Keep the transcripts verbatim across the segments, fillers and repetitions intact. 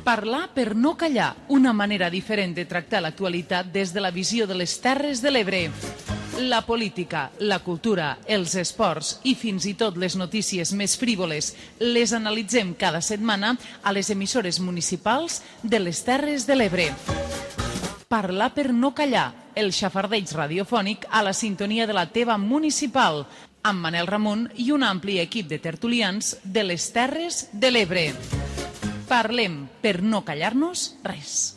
Parlar per no callar, una manera diferent de tractar l'actualitat des de la visió de les Terres de l'Ebre. La política, la cultura, els esports i fins i tot les notícies més frívoles les analitzem cada setmana a les emissores municipals de les Terres de l'Ebre. Parlar per no callar, el xafardeig radiofònic a la sintonia de la teva municipal, amb Manel Ramon i un ampli equip de tertulians de les Terres de l'Ebre. Parlem per no callar-nos res.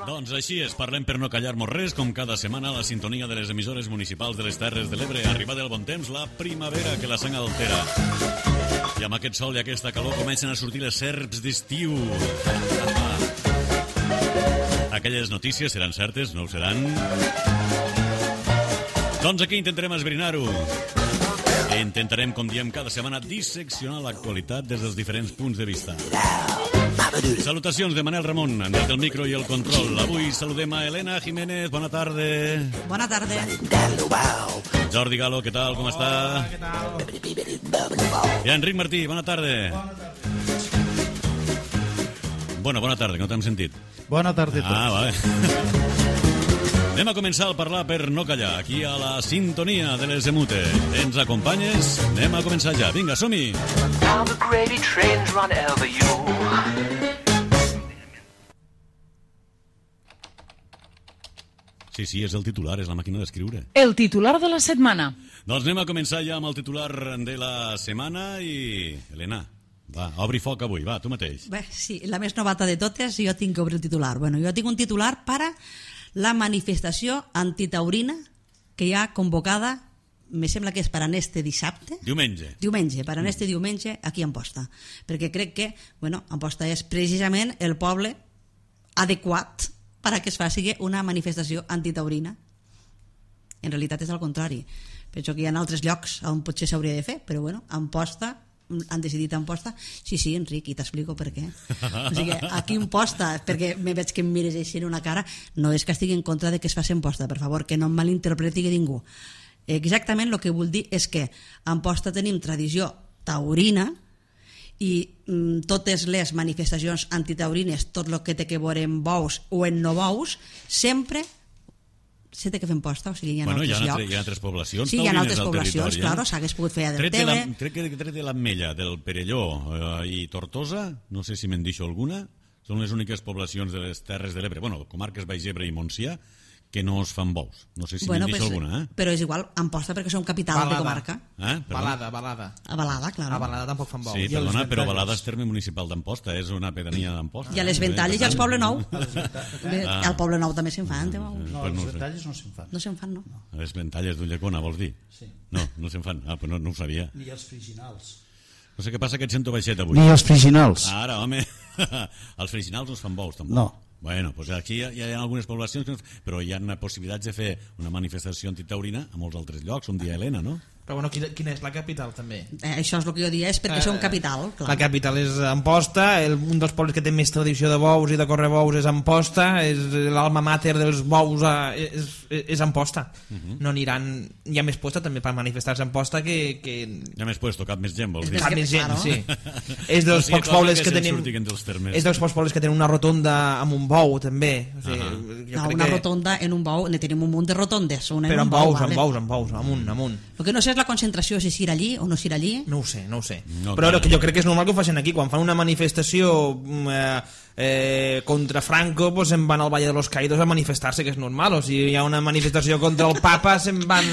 Doncs així és, parlem per no callar-nos res, com cada setmana a la sintonia de les emissores municipals de les Terres de l'Ebre. Arribada el bon temps, la primavera que la sang altera. I amb aquest sol i aquesta calor comencen a sortir les serps d'estiu. Aquelles notícies seran certes, no ho seran? Doncs aquí intentarem esbrinar-ho. Intentarem, com diem cada setmana, disseccionar l'actualitat des dels diferents punts de vista. Salutacions de Manel Ramon, des del micro i el control. Avui saludem a Elena Jiménez, bona tarda. Bona tarda. Jordi Galo, què tal, com està? Hola, què tal? I Enric Martí, bona tarda. Bona, bona tarda, que no t'hem sentit. Bona tarda a tots. Ah, vale. Anem a començar a parlar per no callar, aquí a la sintonia de les Emute. Ens acompanyes? Anem a començar ja. Vinga, som-hi! Sí, sí, és el titular, és la màquina d'escriure. El titular de la setmana. Doncs anem a començar ja amb el titular de la setmana i... Helena, va, obri foc avui, va, tu mateix. Bé, sí, la més novata de totes, jo tinc que obrir el titular. Bueno, jo tinc un titular per a la manifestació antitaurina que hi ha convocada, me sembla que és per a este dissabte. Diumenge. Diumenge, per a este diumenge aquí a Amposta. Perquè crec que, bueno, Amposta és precisament el poble adequat per a que es faci una manifestació antitaurina. En realitat és al contrari. Penso que hi ha altres llocs on potser s'hauria de fer, però bueno, Amposta han decidit Amposta. Sí, sí, Enric, i t'explico per què. O sigui, aquí Amposta, perquè me veig que em mires així en una cara, no és que estigui en contra de que es faci Amposta, per favor, que no em malinterpreti ningú. Exactament el que vull dir és que a Amposta tenim tradició taurina i mm, totes les manifestacions antitaurines, tot el que té que veure en bous o en no bous, sempre se té que fer Amposta, o sigui, hi ha bueno, altres hi ha llocs. Altre, hi ha altres poblacions sí, hi ha altres al poblacions, territori, claro, eh? s'hagués pogut fer a Tret de la, Delteve. crec que tret de l'Ametlla, del Perelló eh, i Tortosa, no sé si me'n deixo alguna, són les úniques poblacions de les Terres de l'Ebre, bueno, comarques Baix Ebre i Montsià, que no es fan bous. No sé si Bueno, me'n deixo pues, alguna, eh? però és igual, Amposta perquè som capital Balada. de comarca. eh? Balada, balada. A Balada, claro. A Balada tampoc fan bous. Sí, I a les perdona, però Ventalles? Balada és terme municipal d'Amposta, és una pedania d'Amposta. I a les eh? Ventalles i als Poble Nou. Ah. Al Poble Nou també se'n fan. No, No, Pues no les ho sé. Ventalles no se'n fan. no se'n fan, no. A les Ventalles d'Ulldecona, vols dir? Sí. No, no se'n fan. Ah, però no, no ho sabia. Ni els friginals. No sé què passa que et sento baixet avui. Ni els friginals. Ara, home, els friginals no es fan bous, tampoc. No. Bueno, doncs aquí hi ha, hi ha algunes poblacions, que no, però hi ha possibilitats de fer una manifestació antitaurina a molts altres llocs, un dia a Helena, no? Però bueno, quina, quina és la capital també? Eh, això és el que jo diria, és perquè Eh, som capital, clar. La capital és Amposta, el, un dels pobles que té més tradició de bous i de correbous és Amposta, és l'alma mater dels bous a, és, és Amposta. Uh -huh. No aniran, hi ha més posta també per manifestar-se a Amposta que, que... Ja m'has puesto cap més gent, vols dir? Cap més gent, claro. sí. És dels O sigui, pocs cosa pobles que que se'n tenim... surtin dels termes. És dels pocs pobles que tenen una rotonda amb un bou també. O sigui, Ahà. jo No, crec una que... rotonda en un bou, ne tenim un munt de rotondes. Una en Però un amb bou, bous, vale. amb bous, amb bous, amunt, amunt. El que no sé és la concentració, si s'irà allí o no s'irà allí. No ho sé, no ho sé. No, Però clar. que jo crec que és normal que ho facin aquí. Quan fan una manifestació eh, eh, contra Franco, pues se'n van al Valle de los Caídos a manifestar-se, que és normal. O si hi ha una manifestació contra el Papa, se'n van...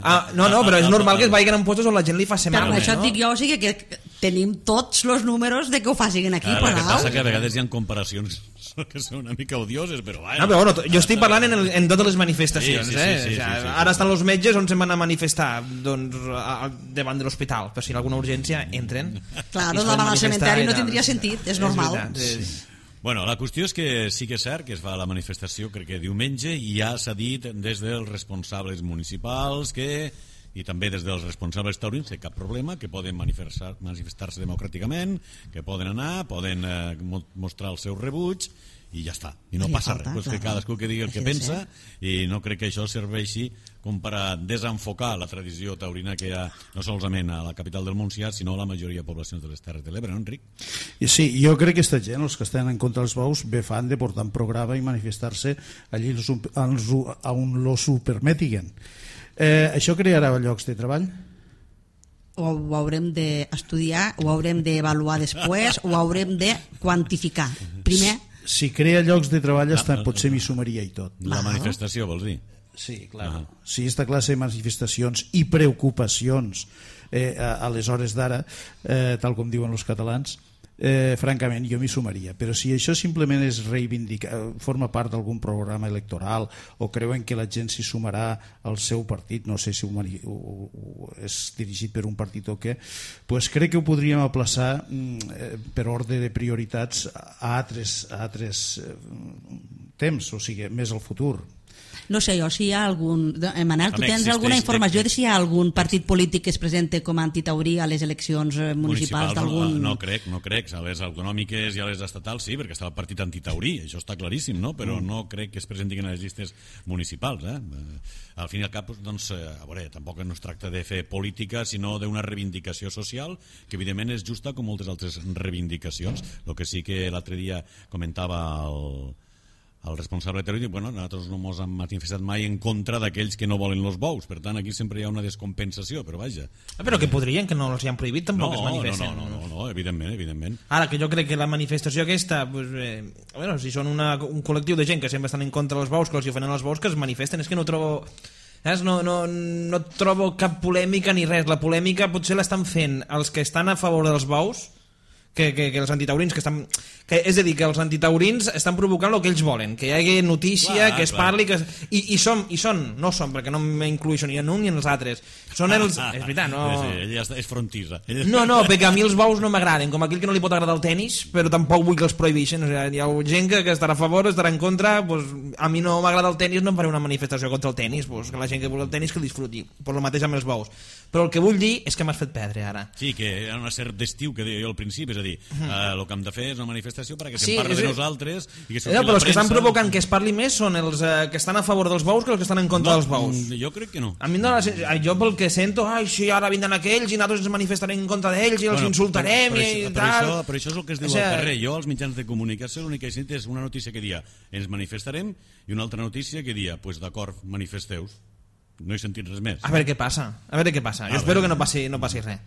A... No, no, però és normal que es vagin en puestos on la gent li fa Però mal. amb això no? et dic jo, o sigui que tenim tots els números de que ho facin aquí. Ara, el que però, passa que a vegades hi ha comparacions que són una mica odioses, però bueno. No, però bueno, jo estic parlant en, el, en totes les manifestacions, Sí, sí, sí, eh? sí, O sea, sí, sí, sí. Ara estan els metges on se'n van a manifestar doncs, a, a, davant de l'hospital, però si hi ha alguna urgència, entren. Clar, I es davant poden del manifestar cementeri i no tal. tindria sentit, és normal. veritat, és... Bueno, la qüestió és que sí que és cert que es fa la manifestació, crec que diumenge, i ja s'ha dit des dels responsables municipals que i també des dels responsables taurins, que cap problema, que poden manifestar, manifestar-se democràticament, que poden anar, poden eh, mostrar el seu rebuig, i ja està, i no I passa falta, res, pues clar. que cadascú que digui el que Així pensa, és, i no crec que això serveixi com per a desenfocar la tradició taurina que hi ha no solament a la capital del Montsià, sinó a la majoria de poblacions de les Terres de l'Ebre, no, Enric? I sí, jo crec que aquesta gent, els que estan en contra dels bous, bé fan de portar un programa i manifestar-se allí on los ho permetiguen. Eh, això crearà llocs de treball? O ho haurem d'estudiar, ho haurem d'avaluar després, ho haurem de quantificar. Primer, Si crea llocs de treball, hasta potser m'hi sumaria i tot. La manifestació, vols dir? Sí, clar. Si aquesta classe de manifestacions i preocupacions eh, a, a les hores d'ara, eh, tal com diuen els catalans, eh, francament jo m'hi sumaria. Però si això simplement és reivindicar, forma part d'algun programa electoral, o creuen que la gent s'hi sumarà al seu partit, no sé si ho, ho, ho, és dirigit per un partit o què, pues crec que ho podríem aplaçar eh, per ordre de prioritats a altres, a altres eh, temps, o sigui, més al futur. no sé jo, si hi ha algun... Eh, Manel, tu Home, tens existeix- alguna informació de si hi ha algun ex- partit polític que es presenta com a antitaurí a les eleccions eh, municipals d'algun... no, no crec, no crec, a les autonòmiques i a les estatals sí, perquè està el partit antitaurí, això està claríssim, no? Però mm. no crec que es presentin a les llistes municipals, eh? Al fin i al cap, doncs, a veure, tampoc no es tracta de fer política, sinó d'una reivindicació social, que evidentment és justa com moltes altres reivindicacions. El que sí que l'altre dia comentava el el responsable territori, bueno, nosaltres no ens hem manifestat mai en contra d'aquells que no volen els bous, per tant aquí sempre hi ha una descompensació, però vaja. Ah, però que podrien, que no els hi han prohibit, tampoc no, es manifesten. No, no, no, no, evidentment, evidentment. Ara, que jo crec que la manifestació aquesta, pues, eh, bueno, si són una, un col·lectiu de gent que sempre estan en contra dels bous, que els hi ofenen els bous, que es manifesten, és que no trobo... Saps? No, no, no trobo cap polèmica ni res. La polèmica potser l'estan fent els que estan a favor dels bous, que, que, que els antitaurins que estan... Que, és a dir, que els antitaurins estan provocant el que ells volen, que hi hagi notícia, clar, que es clar. parli, que es... I, i, som, i són, no són, perquè no m'inclueixo ni en un ni en els altres, són els... Ah, ah, és veritat, no... Sí, sí, ella ja està, és frontisa. Ella... No, no, perquè a mi els bous no m'agraden, com aquell que no li pot agradar el tenis, però tampoc vull que els prohibeixen. O sigui, hi ha gent que, que estarà a favor, estarà en contra, pues, a mi no m'agrada el tenis, no em faré una manifestació contra el tenis, pues, que la gent que vol el tenis que el disfruti, per el mateix amb els bous. Però el que vull dir és que m'has fet perdre ara. Sí, que hi ha una cert d'estiu que deia jo al principi, és a dir, uh -huh. eh, el que hem de fer és una manifestació perquè Sí, se'n parli és- de nosaltres i que surti No, la però els que estan premsa. provocant que es parli més són els eh, que estan a favor dels bous que els que estan en contra No, dels bous. mm, jo crec que no. A mi em dóna la sen- jo pel que sento, ai, sí, ara vindran aquells i nosaltres ens manifestarem en contra d'ells i els Bueno, insultarem però, però, i això, però, tal. això, però això és el que es diu O sigui, al carrer. Jo als mitjans de comunicació l'únic que he sentit és una notícia que dia ens manifestarem i una altra notícia que dia, pues d'acord, manifesteu-vos. No he sentit res més. A veure què passa, a veure què passa. Jo A espero veure. que no passi, no passi res.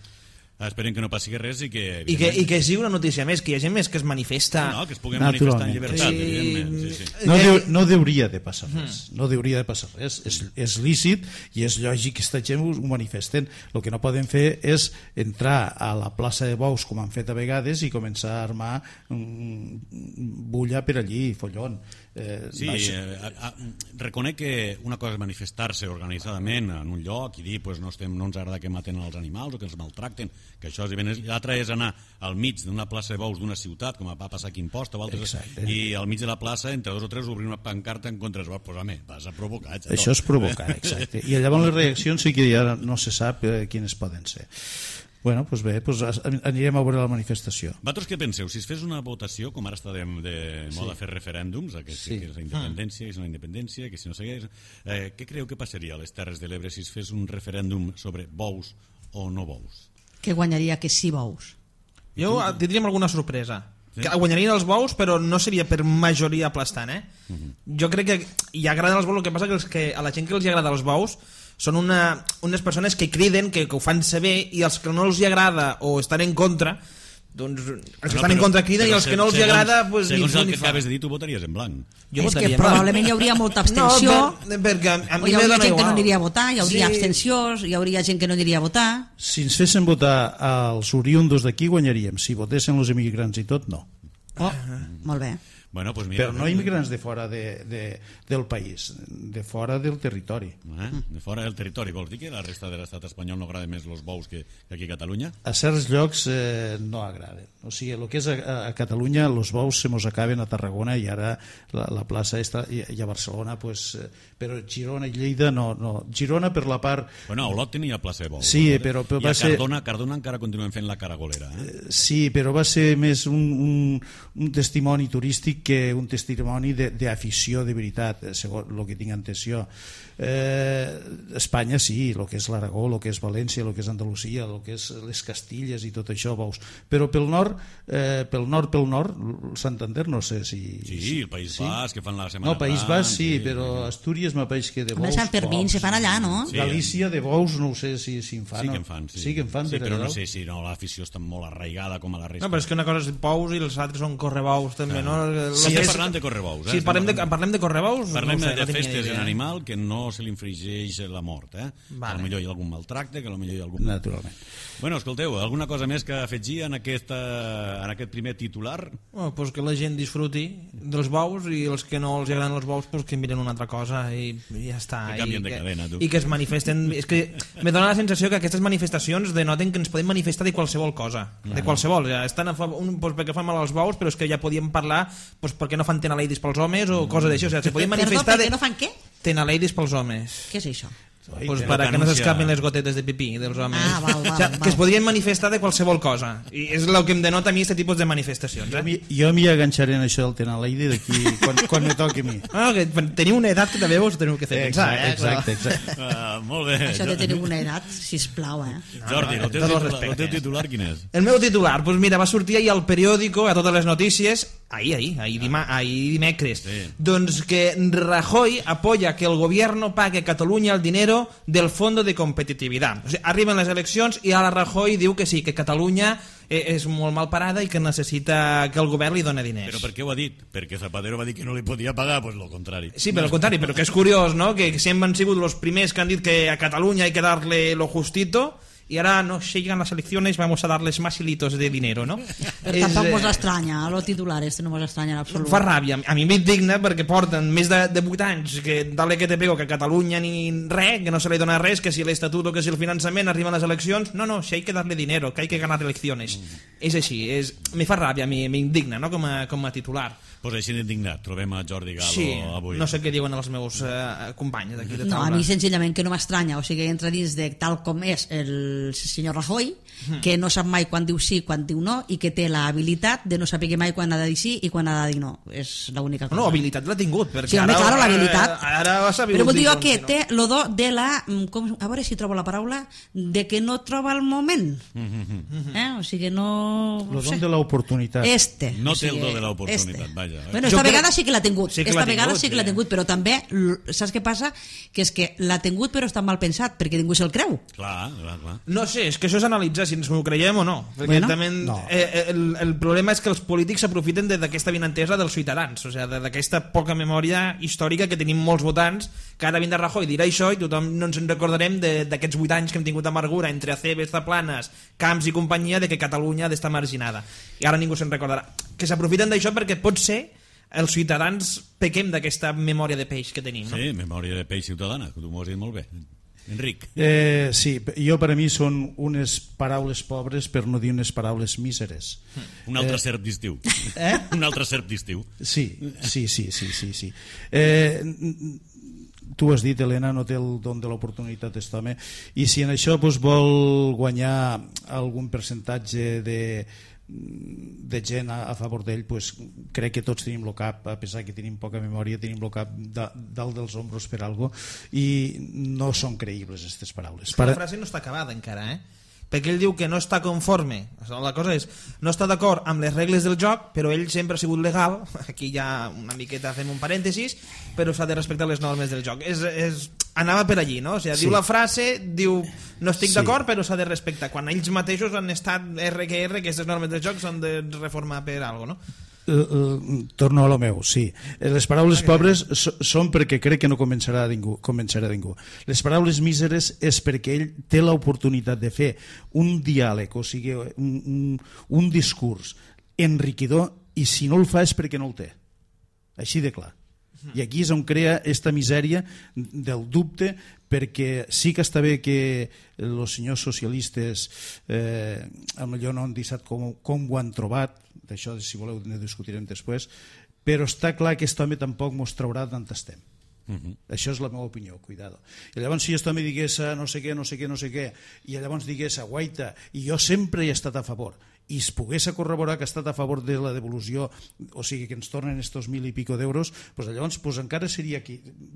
Esperem que no passi res i que... I que, I que sigui una notícia més, que hi ha gent més que es manifesta. No, que es puguem Naturalment. manifestar en llibertat, Sí. evidentment. Sí, sí. No, Eh, deu, no deuria de passar res, no deuria de passar res, és, és lícit i és lògic que aquesta gent ho, ho manifesten. El que no poden fer és entrar a la plaça de Bous com han fet a vegades i començar a armar mm, bulla per allí, follon. Eh, Sí, vaja. eh, a, a, reconec que una cosa és manifestar-se organitzadament en un lloc i dir pues, no, estem, no ens agrada que maten els animals o que els maltracten, que això és evident. L'altre és anar al mig d'una plaça de bous d'una ciutat, com va passar aquí a Imposta o altres, Exacte. i al mig de la plaça, entre dos o tres, obrir una pancarta en contra dels bous. Pues, home, vas a provocar. xato. Això és provocar, exacte. I llavors les reaccions sí que ja no se sap eh, quines poden ser. Bueno, doncs bé, doncs anirem a veure la manifestació. Vosaltres què penseu? Si es fes una votació, com ara està de, de moda sí. fer referèndums, que, sí. Sí. que és la independència, que és la independència, que si no segueix... Eh, què creu que passaria a les Terres de l'Ebre si es fes un referèndum sobre bous o no bous? Que guanyaria que sí bous. Jo eh, tindríem alguna sorpresa. Sí. Que guanyarien els bous, però no seria per majoria aplastant, eh? Uh -huh. Jo crec que hi agraden els bous, el que passa que, els que a la gent que els agrada els bous són una, unes persones que criden, que, que ho fan saber, i els que no els agrada o estan en contra, doncs els que No, estan en però- contra criden i però els que no els segons- agrada pues, ni segons fu el ni que fa. acabes de dir, tu votaries en blanc. Jo és votaria que en blanc. probablement hi hauria molta abstenció, No, per, perquè a, a o mi hi me hauria dona gent que no igual. aniria a votar, hi hauria Sí. abstencions, hi hauria gent que no aniria a votar. Si ens fessin votar als oriundos d'aquí guanyaríem, si votessin els immigrants i tot, no. Oh, molt bé. Bueno, pues mira, però no immigrants de fora de, de, del país, de fora del territori. Eh? De fora del territori. Vols dir que a la resta de l'estat espanyol no agrada més els bous que, que aquí a Catalunya? A certs llocs eh, no agraden. O sigui, el que és a, a Catalunya, els bous se mos acaben a Tarragona i ara la, la plaça està, i, i a Barcelona, pues, eh, però Girona i Lleida no, no. Girona per la part... Bueno, a Olot tenia plaça de bous. Sí, no? però, però I va a ser... Cardona, Cardona encara continuen fent la caragolera. Eh? Sí, però va ser més un, un, un testimoni turístic que un testimoni d'afició de, de veritat, segons el que tinc entès jo. Eh, Espanya sí, el que és l'Aragó, el que és València, el que és Andalusia, el que és les Castilles i tot això, veus. Però pel nord, eh, pel nord, pel nord, Santander no sé si... Sí, si el País sí. Basc, que fan la Setmana No, País Basc sí, sí, però Astúries m'apareix que de Home, bous... Sant Fermín se fan allà, no? Sí. Galícia de bous no ho sé si, si en fan. Sí que en fan, sí. Sí que en fan, sí, però no Dalt. sé si no, l'afició està molt arraigada com a la resta. No, però és que una cosa és bous i els altres són correbous també, no? Sí, Lo que estem és- parlant de correbous. Eh? Si Estem parlem de, parlant- parlem de correbous... Parlem no ho sé, de no tinc ni festes idea. en animal que no se li infringeix la mort, eh? Vale. Que potser hi ha algun maltracte, que potser hi ha algun... Naturalment. Bueno, escolteu, alguna cosa més que afegir en, aquesta, en aquest primer titular? Oh, pues que la gent disfruti dels bous i els que no els agraden els bous pues que miren una altra cosa i, i ja està. Que canvien I de que, cadena, tu. I que es manifesten... És que me dóna la sensació que aquestes manifestacions denoten que ens podem manifestar de qualsevol cosa. De qualsevol. Ja estan a favor, un, pues, perquè fan mal als bous, però és que ja podíem parlar pues, perquè no fan tenaleidis pels homes o coses d'això. O sigui, se podien Perdó, manifestar per què de no fan què? tenaleidis pels homes. Què és això? Pues Ai, para que que no anuncia- s'escapen les gotetes de pipí dels homes. Ah, val, val, o sigui, val. que es podien manifestar de qualsevol cosa. I és el que em denota a mi aquest tipus de manifestacions. Jo Eh? m'hi- Jo m'hi aganxaré en això del Tenaleide d'aquí quan, quan me toqui a mi. Ah, que teniu una edat que també vos teniu que fer pensar. Exacte, Eh? exacte, exacte. Uh, molt bé. Això de tenir una edat, sisplau, eh? Jordi, el teu, Tot el titular, el respecte. teu titular quin és? El meu titular, pues mira, va sortir ahir al periòdico, a totes les notícies, ahir, ahir, ahir, dima, ahir dimecres, Sí. doncs que Rajoy apoya que el gobierno pague a Catalunya el dinero del Fondo de Competitividad. O sigui, arriben les eleccions i ara Rajoy diu que sí, que Catalunya eh, és molt mal parada i que necessita que el govern li doni diners. Però per què ho ha dit? Perquè Zapatero va dir que no li podia pagar, doncs lo contrari. Sí, però al contrari, però que és curiós, no?, que sempre han sigut els primers que han dit que a Catalunya hay que darle lo justito y ahora no llegan las elecciones vamos a darles más hilitos de dinero, no? Però tampoc mos estranya, los titulares no mos estranya en absolut. Fa ràbia, a mi m'indigna perquè porten més de, de vuit anys que dale que te pego, que a Catalunya ni res, que no se li dona res, que si l'estatut o que si el finançament arriben les eleccions, no, no, si hay que darle dinero, que hay que ganar elecciones. Mm. És així, és, me fa ràbia, m'indigna, no?, com a, com a titular. Pues així d'indignat, trobem a Jordi Galo Sí, avui. no sé què diuen els meus eh, companys d'aquí de No, taula. a mi senzillament que no m'estranya, o sigui, entra dins de tal com és el senyor Rajoy, que no sap mai quan diu sí, quan diu no, i que té l'habilitat de no saber mai quan ha de dir sí i quan ha de dir no. És l'única cosa. No, habilitat l'ha tingut, perquè Sí, home, ara, claro, l'habilitat. Ara, ara ha sabut Però vull dir dir jo que si no. té lo do de la... Com, a veure si trobo la paraula, de que no troba el moment. Eh? O sigui, no... Lo no don sé. de l'oportunitat. Este. No o té el sigui, do de l'oportunitat, este. vaja. Bueno, Jo esta crec- vegada sí que l'ha tingut. Sí que esta l'ha vegada tingut, sí que l'ha sí. tingut, però també, l- saps què passa? Que és que l'ha tingut però està mal pensat, perquè ningú se'l creu. Clar, clar, clar. No sé, és que això és analitzar si ens ho creiem o no. Perquè Bueno, també no. eh, el, el problema és que els polítics s'aprofiten de- d'aquesta vinentesa dels ciutadans, o sigui, de- d'aquesta poca memòria històrica que tenim molts votants, que ara vindrà Rajoy dirà això i tothom no ens en recordarem de- d'aquests vuit anys que hem tingut amargura entre Acebes, Zaplanas, Camps i companyia de que Catalunya ha d'estar marginada. I ara ningú se'n recordarà. Que s'aprofiten d'això perquè pot ser els ciutadans pequem d'aquesta memòria de peix que tenim. No? Sí, memòria de peix ciutadana, que tu m'ho has dit molt bé. Enric. Eh, sí, jo per a mi són unes paraules pobres per no dir unes paraules míseres. Un altre serp d'estiu. Eh? Un altre serp d'estiu. Sí, sí, sí, sí, sí, sí. Eh, tu has dit, Helena, no té el don de l'oportunitat aquest home, i si en això doncs, vol guanyar algun percentatge de, de gent a, a favor d'ell, pues, crec que tots tenim el cap, a pesar que tenim poca memòria, tenim el cap da, dalt dels ombros per algo, i no són creïbles aquestes paraules. La frase no està acabada encara, eh? Perquè ell diu que no està conforme. La cosa és, no està d'acord amb les regles del joc, però ell sempre ha sigut legal, aquí ja una miqueta fem un parèntesis, però s'ha de respectar les normes del joc. És, és, anava per allí, no? O sigui, Sí. diu la frase, diu, no estic Sí. d'acord, però s'ha de respectar. Quan ells mateixos han estat R que R, que aquestes normes del joc s'han de reformar per alguna cosa, no? Uh, uh, torno a lo meu, sí. Les paraules pobres so, són perquè crec que no convencerà a ningú, convencerà a ningú. Les paraules míseres és perquè ell té l'oportunitat de fer un diàleg, o sigui, un, un, un discurs enriquidor, i si no el fa és perquè no el té. així de clar. I aquí és on crea esta misèria del dubte, perquè sí que està bé que els senyors socialistes eh, potser no han dit com, com ho han trobat, d'això si voleu ne discutirem després, però està clar que aquest home tampoc mos traurà d'on estem. Uh-huh. Això és la meva opinió, cuidado. I llavors si aquest home digués no sé què, no sé què, no sé què, i llavors digués guaita, i jo sempre he estat a favor, i es pogués corroborar que ha estat a favor de la devolució, o sigui que ens tornen estos mil i pico d'euros, pues llavors pues encara seria aquí,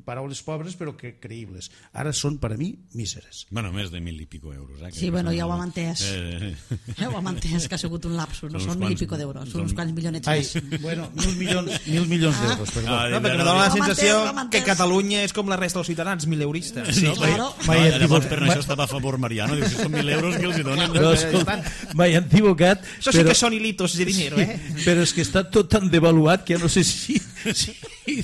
paraules pobres però que creïbles. Ara són per a mi míseres. Bueno, més de mil i pico euros. Eh? Sí, bueno, ja ho hem entès. Eh... Ja ho hem entès, que ha sigut un lapsus, no són mil i pico d'euros, són uns quants milionets Ai, més. Bueno, mil milions, mil milions d'euros, perdó. Ah, no, perquè me dona la sensació que Catalunya és com la resta dels ciutadans, mil euristes. Sí, no, claro. Mai, mai, llavors per això estava a favor Mariano, diu, si són mil euros que els hi donen. No, escolta, m'he equivocat. Això sí però... que són hilitos de dinero, eh? Però és que està tot tan devaluat que ja no sé si, si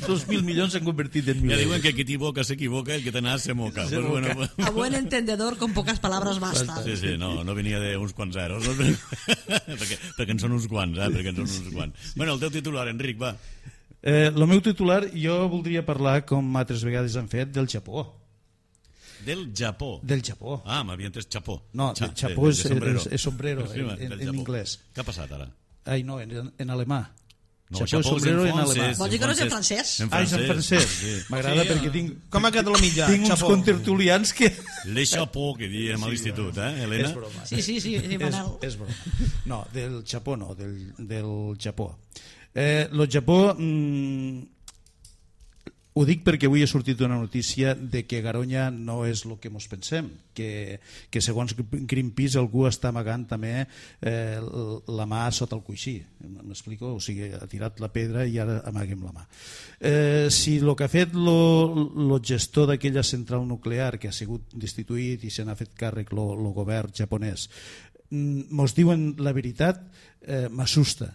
dos mil milions s'han convertit en mil. Ja diuen que qui t'equivoca s'equivoca, el que te n'ha se moca. Se pues moca. Bueno, A buen entendedor, con pocas palabras basta. Sí, sí, no, no venia d'uns quants zeros. perquè, perquè en són uns quants, eh? Perquè en són uns quants. Bueno, el teu titular, Enric, va. Eh, el meu titular, jo voldria parlar, com altres vegades han fet, del Japó. Del Japó. Del Japó. Ah, m'havia entès Chapó. No, Cha, Chapó és, de, de és, és sombrero sí, en, en, en inglès. Què ha passat ara? Ai, no, en, en alemà. No, Chapó és sombrero en alemà. Vols dir que no és en francès? En Ah, és en francès. Sí. M'agrada Sí, perquè tinc, com ha quedat la mitjà? tinc uns Chapó. contertulians que... Le Chapó, que diem a l'institut, eh, Helena? És broma. Sí, sí, sí, sí, És, Manel. és broma. No, del Japó no, del, del Japó. Eh, lo Japó... Mm, ho dic perquè avui ha sortit una notícia de que Garoña no és el que mos pensem, que, que segons Greenpeace algú està amagant també eh, la mà sota el coixí. M'explico? O sigui, ha tirat la pedra i ara amaguem la mà. Eh, si el que ha fet el gestor d'aquella central nuclear, que ha sigut destituït i se n'ha fet càrrec el govern japonès, mos diuen la veritat, eh, m'assusta.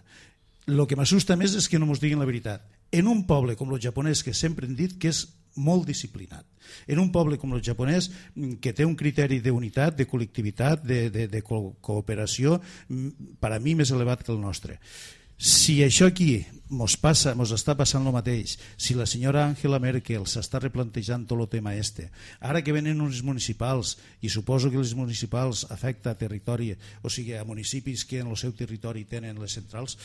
El que m'assusta més és que no mos diguin la veritat. En un poble com el japonès, que sempre hem dit que és molt disciplinat, en un poble com el japonès, que té un criteri d'unitat, de col·lectivitat, de, de, de co cooperació, per a mi més elevat que el nostre. Si això aquí mos passa, mos està passant el mateix, si la senyora Angela Merkel s'està replantejant tot el tema este, ara que venen uns municipals, i suposo que els municipals afecta a territori, o sigui, a municipis que en el seu territori tenen les centrals,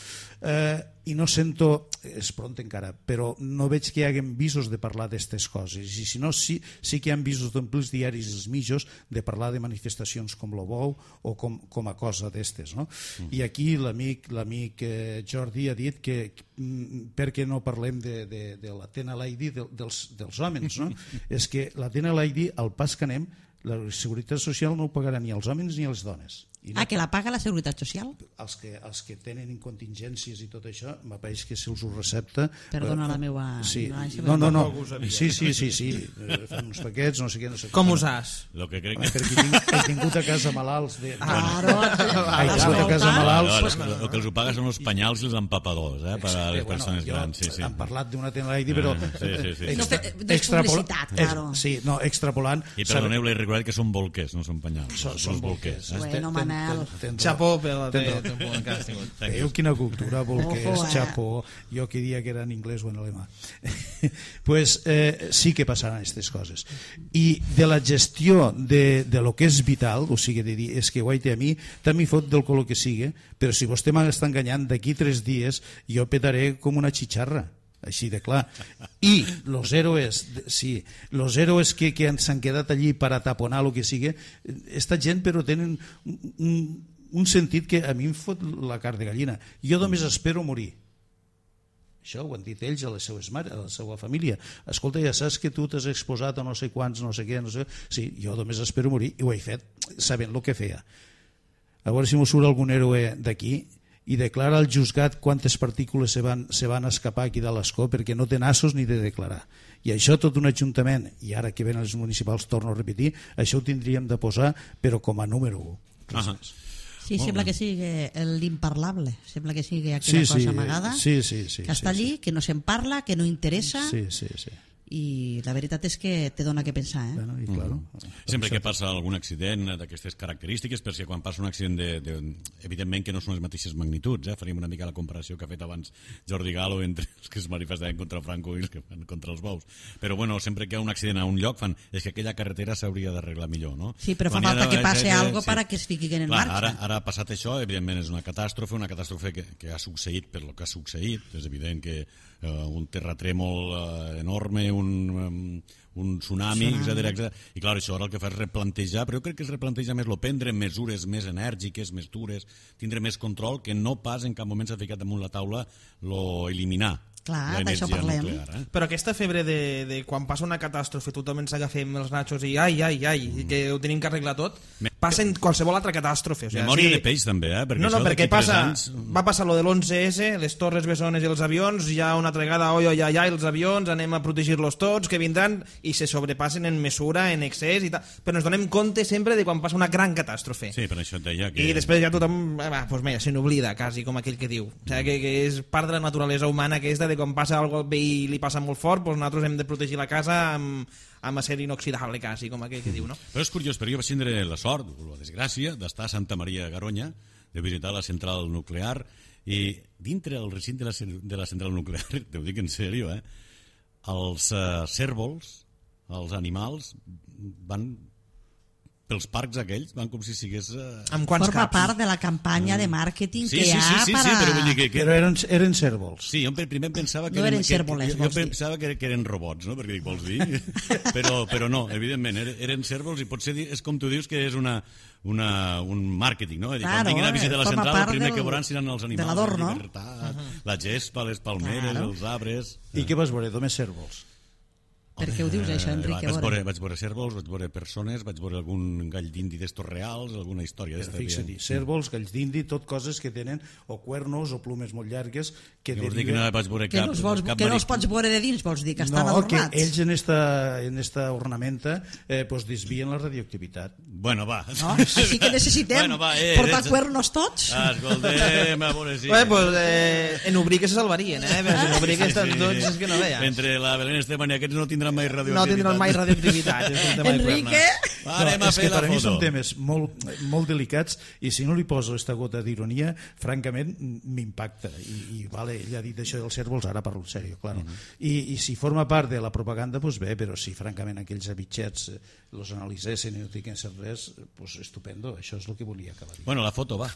eh, i no sento, és pront encara, però no veig que hi haguen visos de parlar d'aquestes coses, i si no, sí, sí que hi ha visos d'omplir els diaris i els mitjos de parlar de manifestacions com lo Bou o com, com a cosa d'estes, no? Mm. I aquí l'amic l'amic eh, Jordi ha dit que per què no parlem de, de, de l'Athena Lady de, dels, dels homes, no? És que l'Athena Lady, al pas que anem, la Seguretat Social no ho pagarà ni als homes ni a les dones. I no, Ah, que la paga la Seguretat Social? els que, els que tenen incontingències i tot això, m'apareix que si els ho recepta... Perdona eh, la meva sí, ignorància, no, no, no, tampoc ho sabia. sí, sí, sí, sí, eh, fan uns paquets, no sé què, no sé Com què. usàs? Lo que crec Home, que... perquè tinc, he tingut a casa malalts de... Claro, Ai, he tingut a casa malalts... No, no, el que els ho paga són els penyals i els empapadors, eh, per a les persones grans. Sí, sí. Han parlat d'una Athena Lady, però... Ah, sí, sí, sí. No, extra- fe- de extrapola- publicitat, ex- claro. Sí, no, extrapolant... I perdoneu, l'he recordat que són bolquers, no són penyals. Són, són bolquers. eh? Bueno, Manel. Chapó per la teva temporada que has tingut. Veieu quina cultura, bolquers, Ojo, eh? chapó, jo que dia que era en anglès o en alemà. Pues eh, sí que passaran aquestes coses. I de la gestió de, de lo que és vital, o sigui, de dir, és que guaita a mi, també fot del color que sigui, però si vostè m'està enganyant, d'aquí tres dies jo petaré com una xitxarra. Així de clar. I los héroes, sí, los héroes que, que s'han quedat allí per ataponar el que sigui, esta gent però tenen un, un sentit que a mi em fot la carn de gallina. Jo només espero morir. Això ho han dit ells a les seues mares, a la seva família. Escolta, ja saps que tu t'has exposat a no sé quants, no sé què, no sé... Sí, jo només espero morir, i ho he fet sabent el que feia. A veure si m'ho surt algun héroe d'aquí i declara al juzgat quantes partícules se van, se van escapar aquí de l'escó, perquè no té nassos ni de declarar. I això tot un ajuntament, i ara que venen els municipals torno a repetir, això ho tindríem de posar, però com a número u. Ah, Sí, Molt sembla bé. que sigui l'imparlable, sembla que sigui aquella Sí, sí, cosa amagada, sí, sí, sí, que està sí, allí, que no se'n parla, que no interessa, Sí, sí, sí. i la veritat és que te dona que pensar, eh? Bueno, i claro, Sempre que passa algun accident d'aquestes característiques, per si quan passa un accident de, de, evidentment que no són les mateixes magnituds, eh? Faríem una mica la comparació que ha fet abans Jordi Galo entre els que es manifestaven contra Franco i els que fan contra els bous, però bueno, sempre que hi ha un accident a un lloc fan, és que aquella carretera s'hauria d'arreglar millor, no? Sí, però fa Quan falta ha de- que passe sí. algo para que es fiquin en Clar, marxa. ara, ara ha passat això, evidentment és una catàstrofe, una catàstrofe que, que ha succeït per lo que ha succeït, és evident que eh, un terratrèmol eh, enorme, un, um, un tsunami, Tsunami. etcètera, etcètera. I clar, això ara el que fa és replantejar, però jo crec que es replanteja més, lo prendre mesures més enèrgiques, més dures, tindre més control, que no pas en cap moment s'ha ficat damunt la taula lo eliminar Clar, l'energia d'això parlem. nuclear. Eh? Però aquesta febre de, de quan passa una catàstrofe tothom ens agafem els nachos i ai, ai, ai, mm. que ho tenim que arreglar tot, Me- passa en qualsevol altra catàstrofe. O sigui, Memòria sí, de peix també, eh? Perquè no, no, això perquè d'aquí tres passa, anys... va passar lo de l'onze esse, les torres bessones i els avions, ja una altra vegada, oi, oi, ai, ai, els avions, anem a protegir-los tots, que vindran, i se sobrepassen en mesura, en excés, i tal. Però ens donem compte sempre de quan passa una gran catàstrofe. Sí, per això et deia que... I després ja tothom, eh, va, doncs mira, se n'oblida, quasi, com aquell que diu. O sigui, que, que és part de la naturalesa humana aquesta, de quan passa algo al veí i li passa molt fort, doncs nosaltres hem de protegir la casa amb, amb acer inoxidable, quasi, com aquell que diu, no? Però és curiós, però jo vaig tindre la sort, o la desgràcia, d'estar a Santa Maria de Garoña, de visitar la central nuclear, i dintre del recinte de la, ce- de la central nuclear, te ho dic en sèrio, eh, els uh, cérvols, els animals, van pels parcs aquells, van com si sigués... Uh... Amb quants Forma caps? part de la campanya de màrqueting Sí, que sí, hi sí, ha sí, para... sí, però vull dir que... que... Però eren, eren cèrvols. Sí, jo primer pensava que No eren que, cérvoles, jo, jo vols dir. pensava que, que eren robots, no? Perquè dic, vols dir? però, però no, evidentment, eren, eren cèrvols i potser di- és com tu dius que és una, una, un màrqueting, no? És dir, Claro, quan vinguin a eh, visitar la forma central, el part primer del- que veuran seran els de animals, l'adorno. la llibertat, uh -huh. la gespa, les palmeres, Claro. els arbres... I què vas veure? Només cèrvols. Per què ho dius, això, Enric? Eh, A vaig, veure. veure, vaig veure cèrvols, vaig veure persones, vaig veure algun gall d'indi d'estos reals, alguna història Però d'esta. fixa-t'hi, cèrvols, galls d'indi, tot coses que tenen o cuernos o plumes molt llargues que Llavors dic que no deriven... vaig veure Que cap, no els, vols, cap que no els maric- pots veure de dins, vols dir, que estan No, que adornats. ells en esta, en esta ornamenta eh, pues desvien la radioactivitat. Bueno, va. No? Així que necessitem Bueno, va, eh, portar ets- cuernos tots. Ah, escoltem, a veure si... Bé, doncs eh, en obrir que se salvarien, eh? Però si en obrir que estan tots, és que no veia. Entre la Belén Esteban i aquests no tindran mai radioactivitat. No tindran mai radioactivitat. És un tema de Enrique... cuernos. Va, anem a és que fer la per a mi són foto. temes molt, molt delicats i si no li poso esta gota d'ironia, francament m'impacta. I, i vale, ell ha dit això dels cèrvols, ara parlo en sèrio, claro. Mhm. I, I si forma part de la propaganda, pues bé, però si francament aquells abitxets eh, los analitzessin i no diguessin res, pues estupendo, això és el que volia acabar dient. Bueno, la foto, va.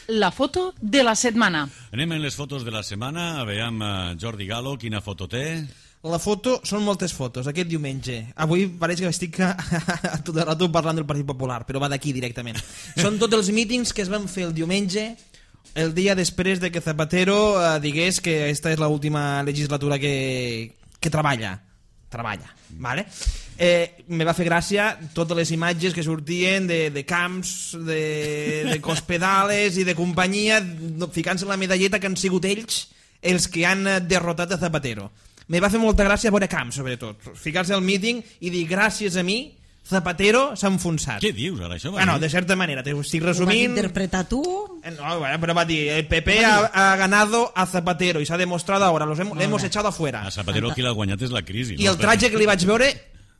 La foto de la setmana. Anem en les fotos de la setmana, veiem uh, Jordi Galo, quina foto té. La foto, són moltes fotos, aquest diumenge. Avui pareix que estic a, a tot el rato parlant del Partit Popular, però va d'aquí directament. Són tots els mítings que es van fer el diumenge, el dia després de que Zapatero eh, digués que aquesta és l'última legislatura que, que treballa. Treballa, vale? Eh, me va fer gràcia totes les imatges que sortien de, de camps, de, de cospedales i de companyia, ficant-se la medalleta que han sigut ells els que han eh, derrotat a Zapatero. Me va fer molta gràcia veure camps, sobretot. Ficar-se al míting i dir gràcies a mi Zapatero s'ha enfonsat. Què dius, ara, això? va Bueno, dir? de certa manera, t'ho estic Ho vas resumint. interpretar tu? Eh, No, bueno, pero va a decir, el P P ha, ha ganado a Zapatero y se ha demostrado ahora, los hem, le hemos echado afuera. A Zapatero qui l'ha guanyat és la crisi. I el traje que li vaig veure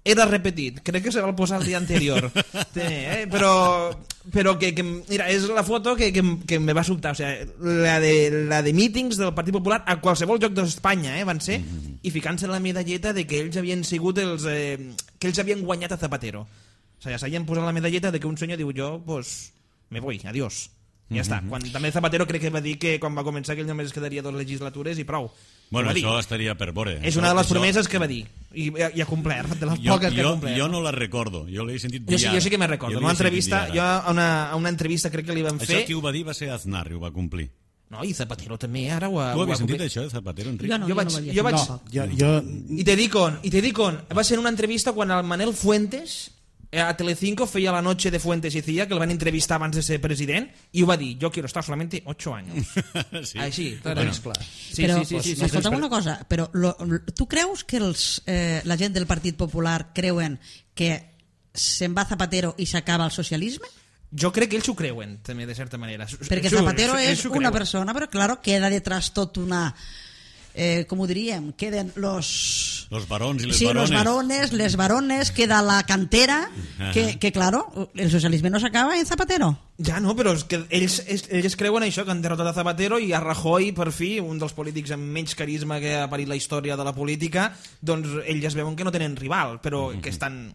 era repetit, crec que se va posar el dia anterior. Té, eh? Però, però que, que, mira, és la foto que, que, que me va sobtar, o sea, la de, la de mítings del Partit Popular a qualsevol lloc d'Espanya, eh, van ser, mm-hmm. i ficant-se la medalleta de que ells havien sigut els... Eh, que ells havien guanyat a Zapatero. O sigui, s'havien posat la medalleta de que un senyor diu, jo, pues, me voy, adiós. I ja està. Quan, també Zapatero crec que va dir que quan va començar que ell només es quedaria dues legislatures i prou. Bueno, Ho va dir. això estaria per veure. És Això- una de les això- promeses que va dir. I, i ha complert, de les Jo, poques que ha jo, complert. jo no la recordo, jo l'he sentit dir Jo sí, ara. jo sí que me'n recordo. Jo En l'he una entrevista, sentit dir jo ara. a una, a una entrevista crec que li van Això fer... qui ho va dir va ser Aznar, i ho va complir. No, i Zapatero també, ara ho ha... Tu ho ha havies sentit complit. això de Zapatero, Enric? Jo no, Jo vaig- no ho havia jo vaig- sentit. No, jo, jo, I te dic on, i te dic on. Va ser en una entrevista quan el Manel Fuentes eh, a Telecinco feia la noche de Fuentes y Cía, que el van entrevistar abans de ser president, i ho va dir, yo quiero estar solamente ocho años. sí. Així, clar. bueno, clar. Sí, però, sí, sí, sí, sí, escolta'm sí. una cosa, però lo, tu creus que els, eh, la gent del Partit Popular creuen que se'n va Zapatero i s'acaba el socialisme? Jo crec que ells ho creuen, també, de certa manera. Perquè Ells ho- Zapatero ells és ho una creuen. persona, però claro, queda detrás tot una... eh, com ho diríem, queden los... Los barons i les sí, barones. los varones, les varones, queda la cantera, que, que claro, el socialisme no s'acaba en Zapatero. Ja no, però és que ells, ells creuen això, que han derrotat a Zapatero i a Rajoy, per fi, un dels polítics amb menys carisma que ha parit la història de la política, doncs ells es veuen que no tenen rival, però que estan...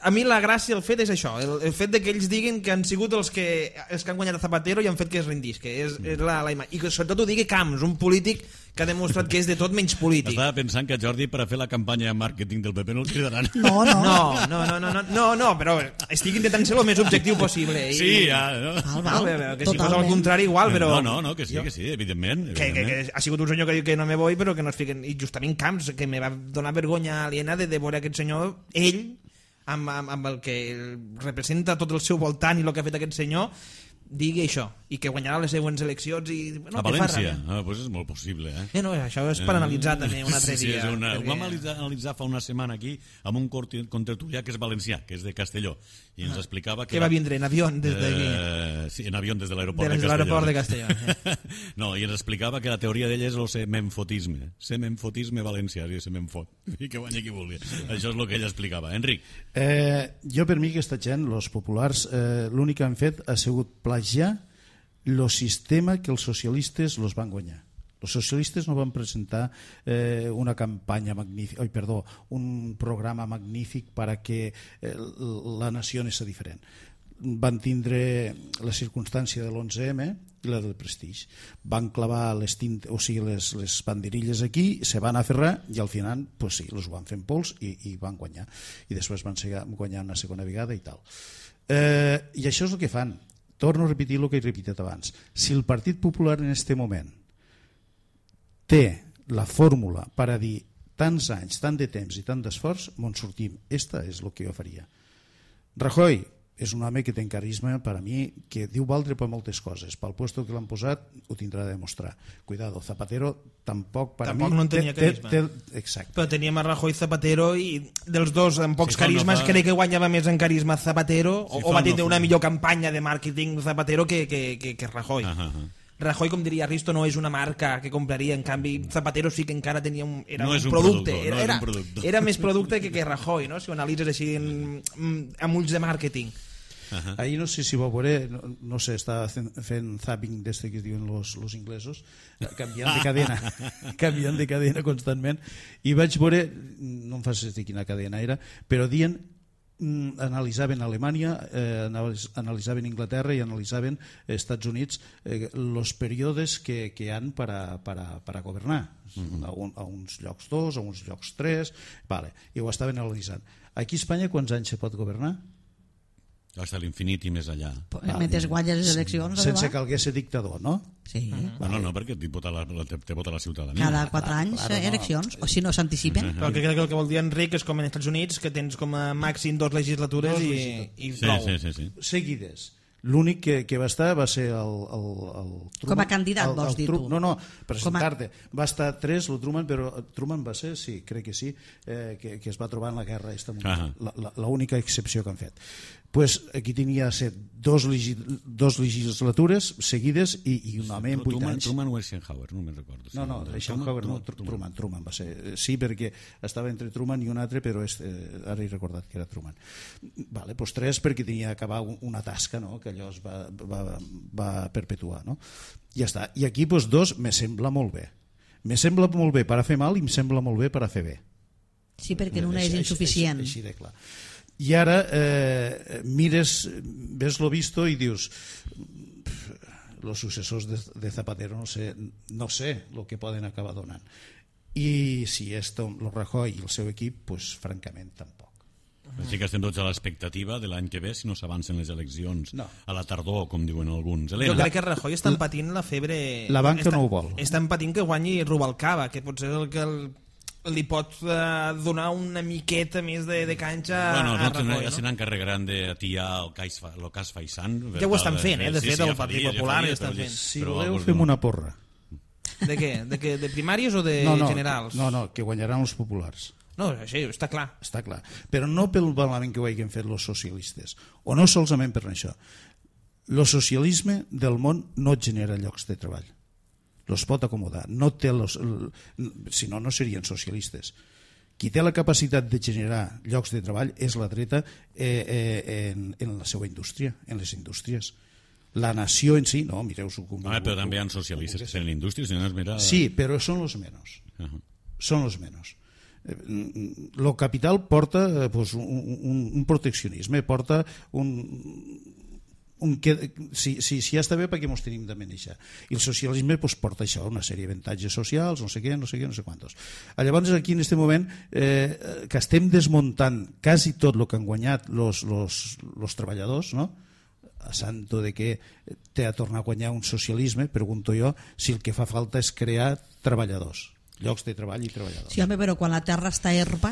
A mi la gràcia, el fet és això, el, el fet de que ells diguin que han sigut els que, els que han guanyat a Zapatero i han fet que es rendís, que és, és la, la imatge. I que sobretot ho digui Camps, un polític que ha demostrat que és de tot menys polític. Estava pensant que Jordi, per a fer la campanya de màrqueting del P P, no el cridaran. No, no. No, no, no, no, no, no, no, però estic intentant ser el més objectiu possible. I... Sí, ja. No? Val, Val, val, que si fos al contrari igual, però... No, no, no, que sí, que sí, evidentment. Que, que, que ha sigut un senyor que diu que no me voy, però que no es fiquen... I justament Camps, que me va donar vergonya aliena de, de veure aquest senyor, ell, amb, amb, amb el que representa tot el seu voltant i el que ha fet aquest senyor, digui això, i que guanyarà les següents eleccions i... No, a València? Ah, doncs és molt possible, eh? Eh, no, això és per analitzar també un altre sí, dia. Sí, una... perquè... Ho vam analitzar, analitzar fa una setmana aquí amb un contertulià que és valencià, que és de Castelló, i ens explicava que... Que va vindre en avió des d'aquí. Eh, sí, en avió des de l'aeroport de, de Castelló. de Castelló. Sí. No, i ens explicava que la teoria d'ell és el semenfotisme. Semenfotisme valencià, sí, semenfot. I que guanyi qui vulgui. Això és el que ell explicava. Enric. Eh, jo per mi aquesta gent, els populars, eh, l'únic que han fet ha sigut plagiar el sistema que els socialistes los van guanyar. Els socialistes no van presentar eh, una campanya magnífica, oi, perdó, un programa magnífic para que eh, la nació anés diferent. Van tindre la circumstància de l'onze eme i la del Prestige. Van clavar les, tint, o sigui, les, les banderilles aquí, se van aferrar i al final, pues sí, els van fer en pols i, i van guanyar. I després van guanyar una segona vegada i tal. Eh, I això és el que fan. Torno a repetir el que he repetit abans. Si el Partit Popular en aquest moment té la fórmula per a dir tants anys, tant de temps i tant d'esforç, on sortim. Esta és el que jo faria. Rajoy és un home que té carisma, per a mi, que diu valdre per moltes coses. Pel puesto que l'han posat ho tindrà de demostrar. Cuidado, Zapatero tampoc per tampoc a mi... no en tenia té, carisma. Té, té, exacte. Però teníem a Rajoy Zapatero i dels dos amb pocs Sí, carismes no fa... crec que guanyava més en carisma Zapatero Sí, o, o va no tindre fa... una millor campanya de màrqueting Zapatero que, que, que, que Rajoy. Ah, ah, ah. Rajoy, com diria Risto, no és una marca que compraria, en canvi Zapatero sí que encara tenia un, era No un, és un producte, productor, no era, és un productor. era més producte que, que Rajoy, no? Si ho analitzes així en, amb ulls de màrqueting. Uh-huh. Ahir no sé si vau veure, no, no sé, estava fent, fent zapping d'este que es diuen los, los inglesos, canviant de cadena, canviant de cadena constantment, i vaig veure, no em facis dir quina cadena era, però dient, mm, analitzaven Alemanya, eh, analitzaven Inglaterra i analitzaven Estats Units, eh, los períodes que, que han per a, per a, per a governar, uh-huh. a, un, a uns llocs dos, a uns llocs tres, vale, i ho estaven analitzant. Aquí a Espanya quants anys se pot governar? Hasta l'infinit i més allà. Mentre guanyes les eleccions... Sense que algú ser dictador, no? Sí. Bueno, no, perquè te vota la, te vota la ciutadania. Cada quatre anys claro, no. eleccions, o si no s'anticipen. Però que crec que el que vol dir Enric és com en Estats Units, que tens com a màxim dos legislatures Dos i, legislatures. i Sí, prou. sí, sí, sí. Seguides. L'únic que, que va estar va ser el, el, el Truman. Com a candidat, el, el, vols dir Tru- tu? No, no, presentar-te. Va estar tres, el Truman, però Truman va ser, sí, crec que sí, eh, que, que es va trobar en la guerra esta mundial. La, la, la única excepció que han fet. Pues aquí tenia set, dos, legi, dos legislatures seguides i, i un home en vuit Truman, anys. Truman o Eisenhower, no me'n recordo. No, no, Eisenhower no, Truman, Truman va ser. Sí, perquè estava entre Truman i un altre, però és, eh, ara he recordat que era Truman. Vale, pues tres perquè tenia que acabar una tasca, no?, que allò es va, va, va perpetuar, no? I ja està. I aquí pues, dos me sembla molt bé. Me sembla molt bé per a fer mal i em sembla molt bé per a fer bé. Sí, perquè una és insuficient. Així, així de clar. I ara eh, mires, ves lo visto i dius los successors de, de Zapatero no sé, no sé lo que poden acabar donant. I si és lo Rajoy i el seu equip, pues francament tampoc. Així que estem tots a l'expectativa de l'any que ve si no s'avancen les eleccions no. a la tardor, com diuen alguns. Helena. Jo crec que Rajoy està patint la febre... La banca està, no ho vol. Estan patint que guanyi Rubalcaba, que potser és el que el, li pot uh, donar una miqueta més de, de canxa bueno, a no, Rajoy. ja se No? n'encarregaran de atiar el cas, el cas Faisán. Ja ho estan fent, eh? De Sí, fet, sí, el ja Partit faria, ja Popular faria, ja estan però- fent. Si però voleu vos fem no. una porra. De què? De, què? De primàries o de no, no, generals? No, no, que guanyaran els populars. No, això està clar. Està clar. Però no pel malament que ho hagin fet els socialistes. O no solament per això. El socialisme del món no genera llocs de treball. los pot acomodar, no té los, si no, no serien socialistes. Qui té la capacitat de generar llocs de treball és la dreta eh, eh, en, en la seva indústria, en les indústries. La nació en si, no, mireu-s'ho com... Ah, però també hi ha socialistes en la indústria, si no es mira... Sí, però són els menys. Uh -huh. Són els menys. El capital porta eh, pues, un, un, un proteccionisme, porta un... un que, si, si, si ja està bé, per què ens tenim de manejar? I el socialisme pues, porta això, una sèrie d'avantatges socials, no sé què, no sé què, no sé quantos. Llavors, aquí en aquest moment, eh, que estem desmuntant quasi tot el que han guanyat els treballadors, no?, a santo de que té a tornar a guanyar un socialisme, pregunto jo, si el que fa falta és crear treballadors, llocs de treball i treballadors. Sí, home, però quan la terra està erma,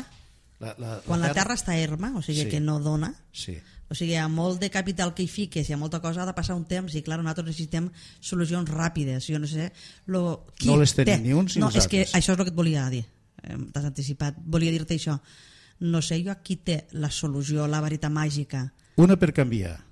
la, la, quan la, la terra està erma, o sigui sí. que no dona, sí. o sigui, hi ha molt de capital que hi fiques, hi ha molta cosa, ha de passar un temps, i clar, nosaltres necessitem solucions ràpides. Jo no sé... Lo, qui no les tenim té? ni uns ni no, els és que altres. això és el que et volia dir, eh, t'has anticipat, volia dir-te això. No sé jo qui té la solució, la varita màgica. Una per canviar,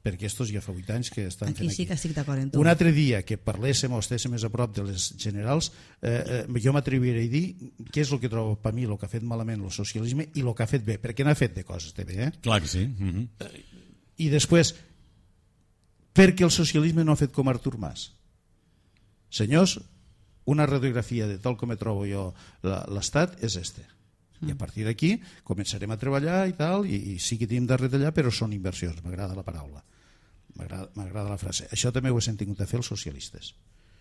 perquè estos ja fa vuit anys que estan Aquí fent sí aquí. que estic d'acord amb tu. Un altre dia que parléssim o estéssim més a prop de les generals, eh, eh, jo m'atreviré a dir què és el que trobo per mi el que ha fet malament el socialisme i el que ha fet bé, perquè n'ha fet de coses de bé, eh? Clar que sí. Uh -huh. I després, perquè el socialisme no ha fet com Artur Mas. Senyors, una radiografia de tal com me trobo jo l'Estat és este. I a partir d'aquí començarem a treballar i tal, i, i sí que tenim de retallar, però són inversions, m'agrada la paraula. M'agrada la frase. Això també ho he sentit de fer els socialistes.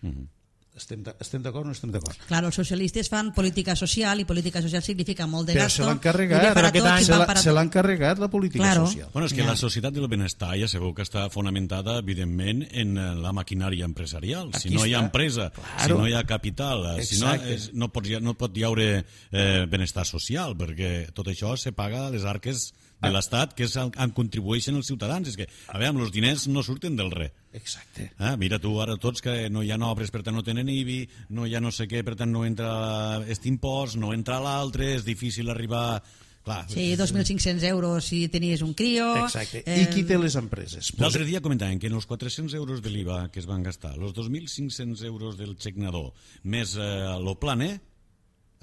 Uh-huh. Estem d'acord o no estem d'acord? Claro, els socialistes fan política social i política social significa molt de però gasto. se l'han carregat, se l'han carregat la política claro. social. Bueno, és que Ja. la societat del benestar ja sabeu que està fonamentada, evidentment, en la maquinària empresarial. Aquí si no hi ha està. empresa, Claro. si no hi ha capital, si no, Exacte. és, no, pot, no pot hi haure eh, benestar social, perquè tot això se paga a les arques de l'Estat, que és el, en contribueixen els ciutadans. És que, a veure, els diners no surten del res. Exacte. Ah, mira tu ara tots que no hi ha obres, per tant no tenen I B I, no hi ha no sé què, per tant no entra aquest impost, no entra l'altre, és difícil arribar... Clar, Sí, dos mil cinc-cents euros si tenies un crio. Exacte. Eh, I qui té les empreses? l'altre dia comentaven que en els quatre-cents euros de l'I V A que es van gastar, els dos mil cinc-cents euros del xec nadó, més eh, lo planer,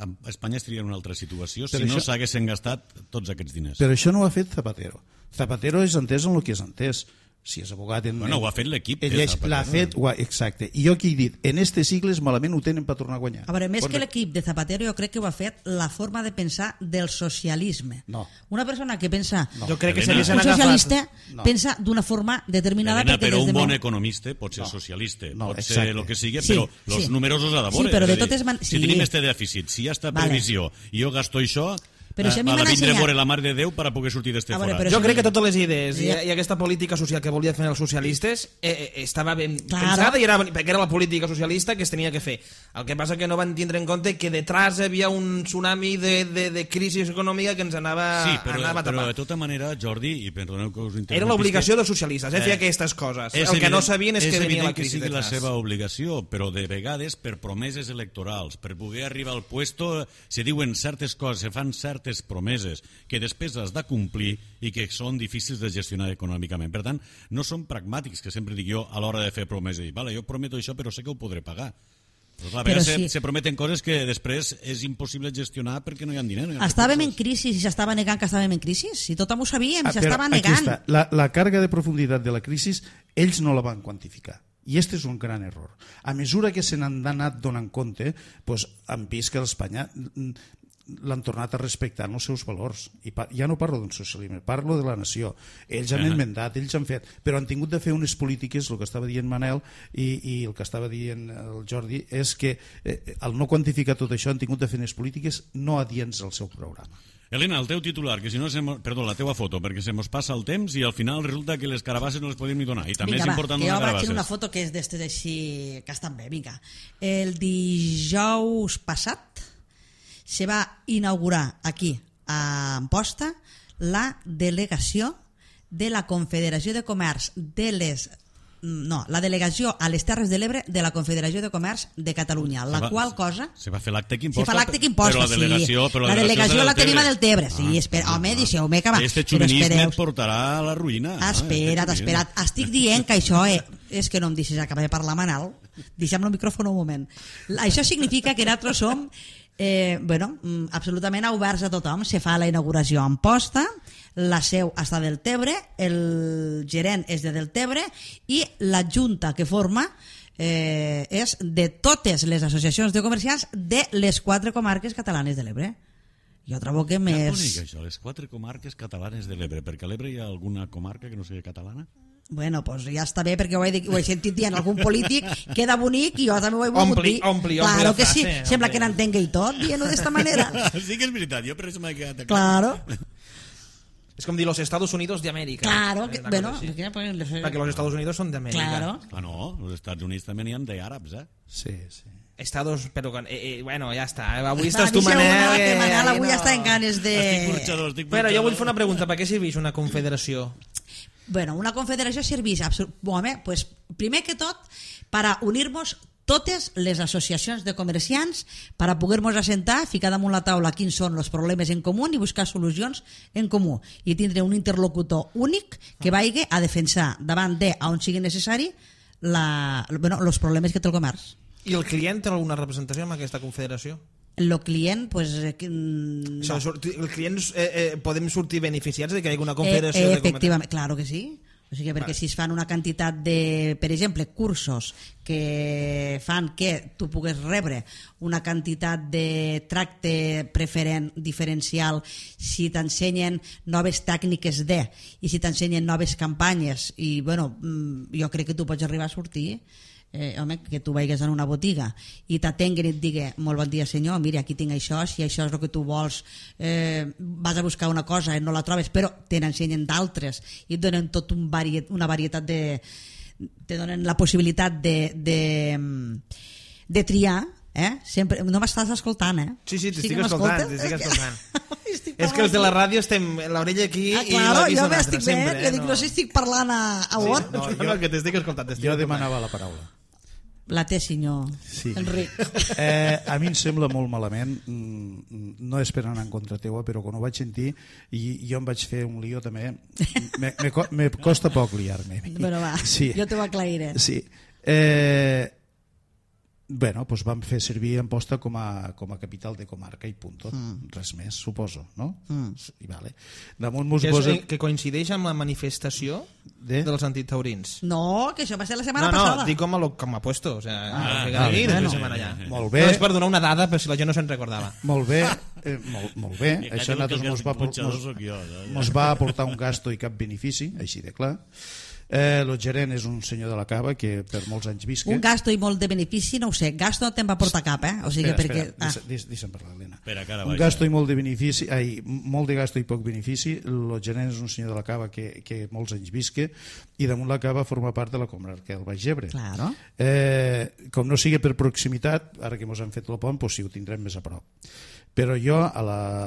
a Espanya estaria en una altra situació si Però no això- s'haguessin gastat tots aquests diners. Però això no ho ha fet Zapatero. Zapatero és entès en el que és entès. Si és abogat en... Bueno, ho ha fet l'equip de Ell és- Zapatero. L'ha fet, ho ha- exacte. I jo aquí he dit, en estes sigles malament ho tenen per tornar a guanyar. A veure, més Pot- que l'equip de Zapatero, jo crec que ho ha fet la forma de pensar del socialisme. No. Una persona que pensa... No. Jo crec que Helena. s'haguessin Un agafat... socialista No. pensa d'una forma determinada Helena, perquè però des un de bon molt- economista pot ser socialista, No, pot exacte. ser el que sigui, Sí, però els sí. números els ha de Sí, veure. però de És a dir, totes man- Si sí. tenim este dèficit, si hi ha esta Vale. previsió i jo gasto això, Però si a mi ha de m'han vindre a ensenyat- veure la Mare de Déu per a poder sortir d'este A veure, fora. però Jo si- crec que totes les idees i, Ja. i aquesta política social que volien fer els socialistes eh, eh, estava ben Claro. pensada i era, perquè era la política socialista que es tenia que fer. El que passa que no van tindre en compte que detrás hi havia un tsunami de, de, de crisi econòmica que ens anava, Sí, però, anava a però tapar. de tota manera, Jordi, i perdoneu que us interrompisca... Era l'obligació dels socialistes, eh, fer Eh, aquestes coses. És El que no evident- sabien és, que venia evident la crisi que sigui la detrás. seva obligació, però de vegades per promeses electorals, per poder arribar al puesto, se diuen certes coses, se fan certes promeses que després has de complir i que són difícils de gestionar econòmicament. Per tant, no són pragmàtics, que sempre dic jo, a l'hora de fer promeses. Dic, vale, jo prometo això, però sé que ho podré pagar. Però, clar, a Però vegades sí. se, se prometen coses que després és impossible gestionar perquè no hi ha diner. No hi ha Estàvem en recursos. crisi i s'estava negant que estàvem en crisi. Si tothom ho sabíem, Ah, però s'estava aquí negant. està. La, la càrrega de profunditat de la crisi ells no la van quantificar. I este és un gran error. A mesura que se n'han anat donant compte, doncs, han vist que l'Espanya l'han tornat a respectar en els seus valors. I pa, ja no parlo d'un socialisme, parlo de la nació. Ells han Uh-huh. enmendat, ells han fet, però han tingut de fer unes polítiques, el que estava dient Manel i, i el que estava dient el Jordi, és que eh, al no quantificar tot això han tingut de fer unes polítiques no adients al seu programa. Elena, el teu titular, que si no... Se mo... Perdó, la teua foto, perquè se mos passa el temps i al final resulta que les carabasses no les podem ni donar. I també Vinga, és va, important que jo donar vaig carabasses. fer una foto que és d'estes així que estan bé, vinga. El dijous passat se va inaugurar aquí a Amposta la delegació de la Confederació de Comerç de les no, la delegació a les Terres de l'Ebre de la Confederació de Comerç de Catalunya, la va, qual cosa... Se va fer l'acte que Se imposta. fa l'acte que imposta, però la delegació, sí. Però la delegació la tenim a del Tebre, Ah, sí, espera, home, deixeu-me acabar. Este Però xuvinisme espereu. et portarà a la ruïna. Ah, espera't, no? espera't. Estic dient que això eh, és que no em deixes acabar de parlar, Manal. Deixa'm el micròfon un moment. Això significa que nosaltres som eh, bueno, absolutament oberts a tothom. Se fa la inauguració a Amposta, la seu està del Tebre, el gerent és de Deltebre i la junta que forma eh, és de totes les associacions de comerciants de les quatre comarques catalanes de l'Ebre. Jo trobo que Ja més... bonic, això, les quatre comarques catalanes de l'Ebre, perquè a l'Ebre hi ha alguna comarca que no sigui catalana? Bueno, pues ja està bé, perquè ho he, ho he sentit dient algun polític, queda bonic i jo també ho he volgut Ompli, dir. ompli, ompli claro la que sí, frase, sembla ompli. que n'entenga i tot, dient-ho d'esta manera. Sí que és veritat, jo per això m'he quedat... Claro, Es com dir los Estados Unidos de América. claro, que, Una bueno, cosa així. perquè, pues, Perquè los Estados Unidos són d'Amèrica. claro. Ah, no, als Estats Units també n'hi ha d'àrabs, eh? Sí, sí. Estados, però eh, eh, bueno, ja està. Avui Va, estàs tu, deixeu-me, Manel. que Manel avui no. està en ganes de... Estic porxador, estic Bueno, porxador. jo vull fer una pregunta. Per què serveix una confederació? Bueno, una confederació serveix, absol- home, pues, primer que tot, para unir-nos totes les associacions de comerciants per a poder-nos assentar, ficar damunt la taula quins són els problemes en comú i buscar solucions en comú i tindre un interlocutor únic que vagi a defensar davant de, on sigui necessari, la, bueno, els problemes que té el comerç. I el client té alguna representació en aquesta confederació? El client, pues, eh, que, mm, O sigui, sortir- el client eh, eh, podem sortir beneficiats de que hi hagi una Eh, confederació eh, de comerç? efectivament, claro que sí. O sigui, perquè si es fan una quantitat de, per exemple, cursos que fan que tu pugues rebre una quantitat de tracte preferent, diferencial, si t'ensenyen noves tècniques de, i si t'ensenyen noves campanyes, i bueno, mm, jo crec que tu pots arribar a sortir eh, home, que tu vagis en una botiga i t'atenguen i et digui, molt bon dia senyor, mira, aquí tinc això, si això és el que tu vols, eh, vas a buscar una cosa i no la trobes, però te n'ensenyen d'altres i et donen tot un variet, una varietat de... te donen la possibilitat de, de, de triar, eh? Sempre, no m'estàs escoltant, eh? Sí, sí, Sí t'estic que escoltant, m'escoltes? t'estic És que- escoltant. Estic És que els de la parlant. ràdio estem l'orella aquí Ah, i claro, l'avís jo un altre, m'estic sempre. veient, jo dic, no sé si estic parlant a, a on? No, no, no, que t'estic escoltant. t'estic Jo escoltant. demanava la paraula. La té, senyor Sí. Enric. Eh, a mi em sembla molt malament, mm, no és per anar en contra teua, però quan ho vaig sentir i jo em vaig fer un lío també, me, me, co- me costa poc liar-me. Bueno, va, Sí. jo t'ho aclariré. Sí. Eh, bueno, doncs vam fer servir Amposta com a, com a capital de comarca i punt. Mm. Res més, suposo, no? Mm. I vale. Damunt mos Que, és, posa... eh, que coincideix amb la manifestació De? dels antitaurins. No, que això va ser la setmana No, no, passada. dic com a, lo, com a puesto. O sea, Ah, que vale, aquí, bueno. bueno, setmana allà. Molt bé. No, és per donar una dada, per si la gent no se'n recordava. Molt bé, eh, molt, molt bé. I Això a que nosaltres el mos va, por- punxador mos, sóc jo, saps? mos va aportar un gasto i cap benefici, així de clar. Eh, el gerent és un senyor de la cava que per molts anys visca. Un gasto i molt de benefici, no ho sé, gasto no te'n va portar cap, eh? O sigui, Espera, perquè... espera, deixa- deixa- deixa'm parlar, Helena. Espera, que ara Un vaig. gasto i molt de benefici, ai, molt de gasto i poc benefici. El gerent és un senyor de la cava que, que molts anys visca i damunt la cava forma part de la comarca del Baix Ebre. Claro. Eh, com no sigui per proximitat, ara que ens han fet el pont, doncs sí, ho tindrem més a prop. Però jo a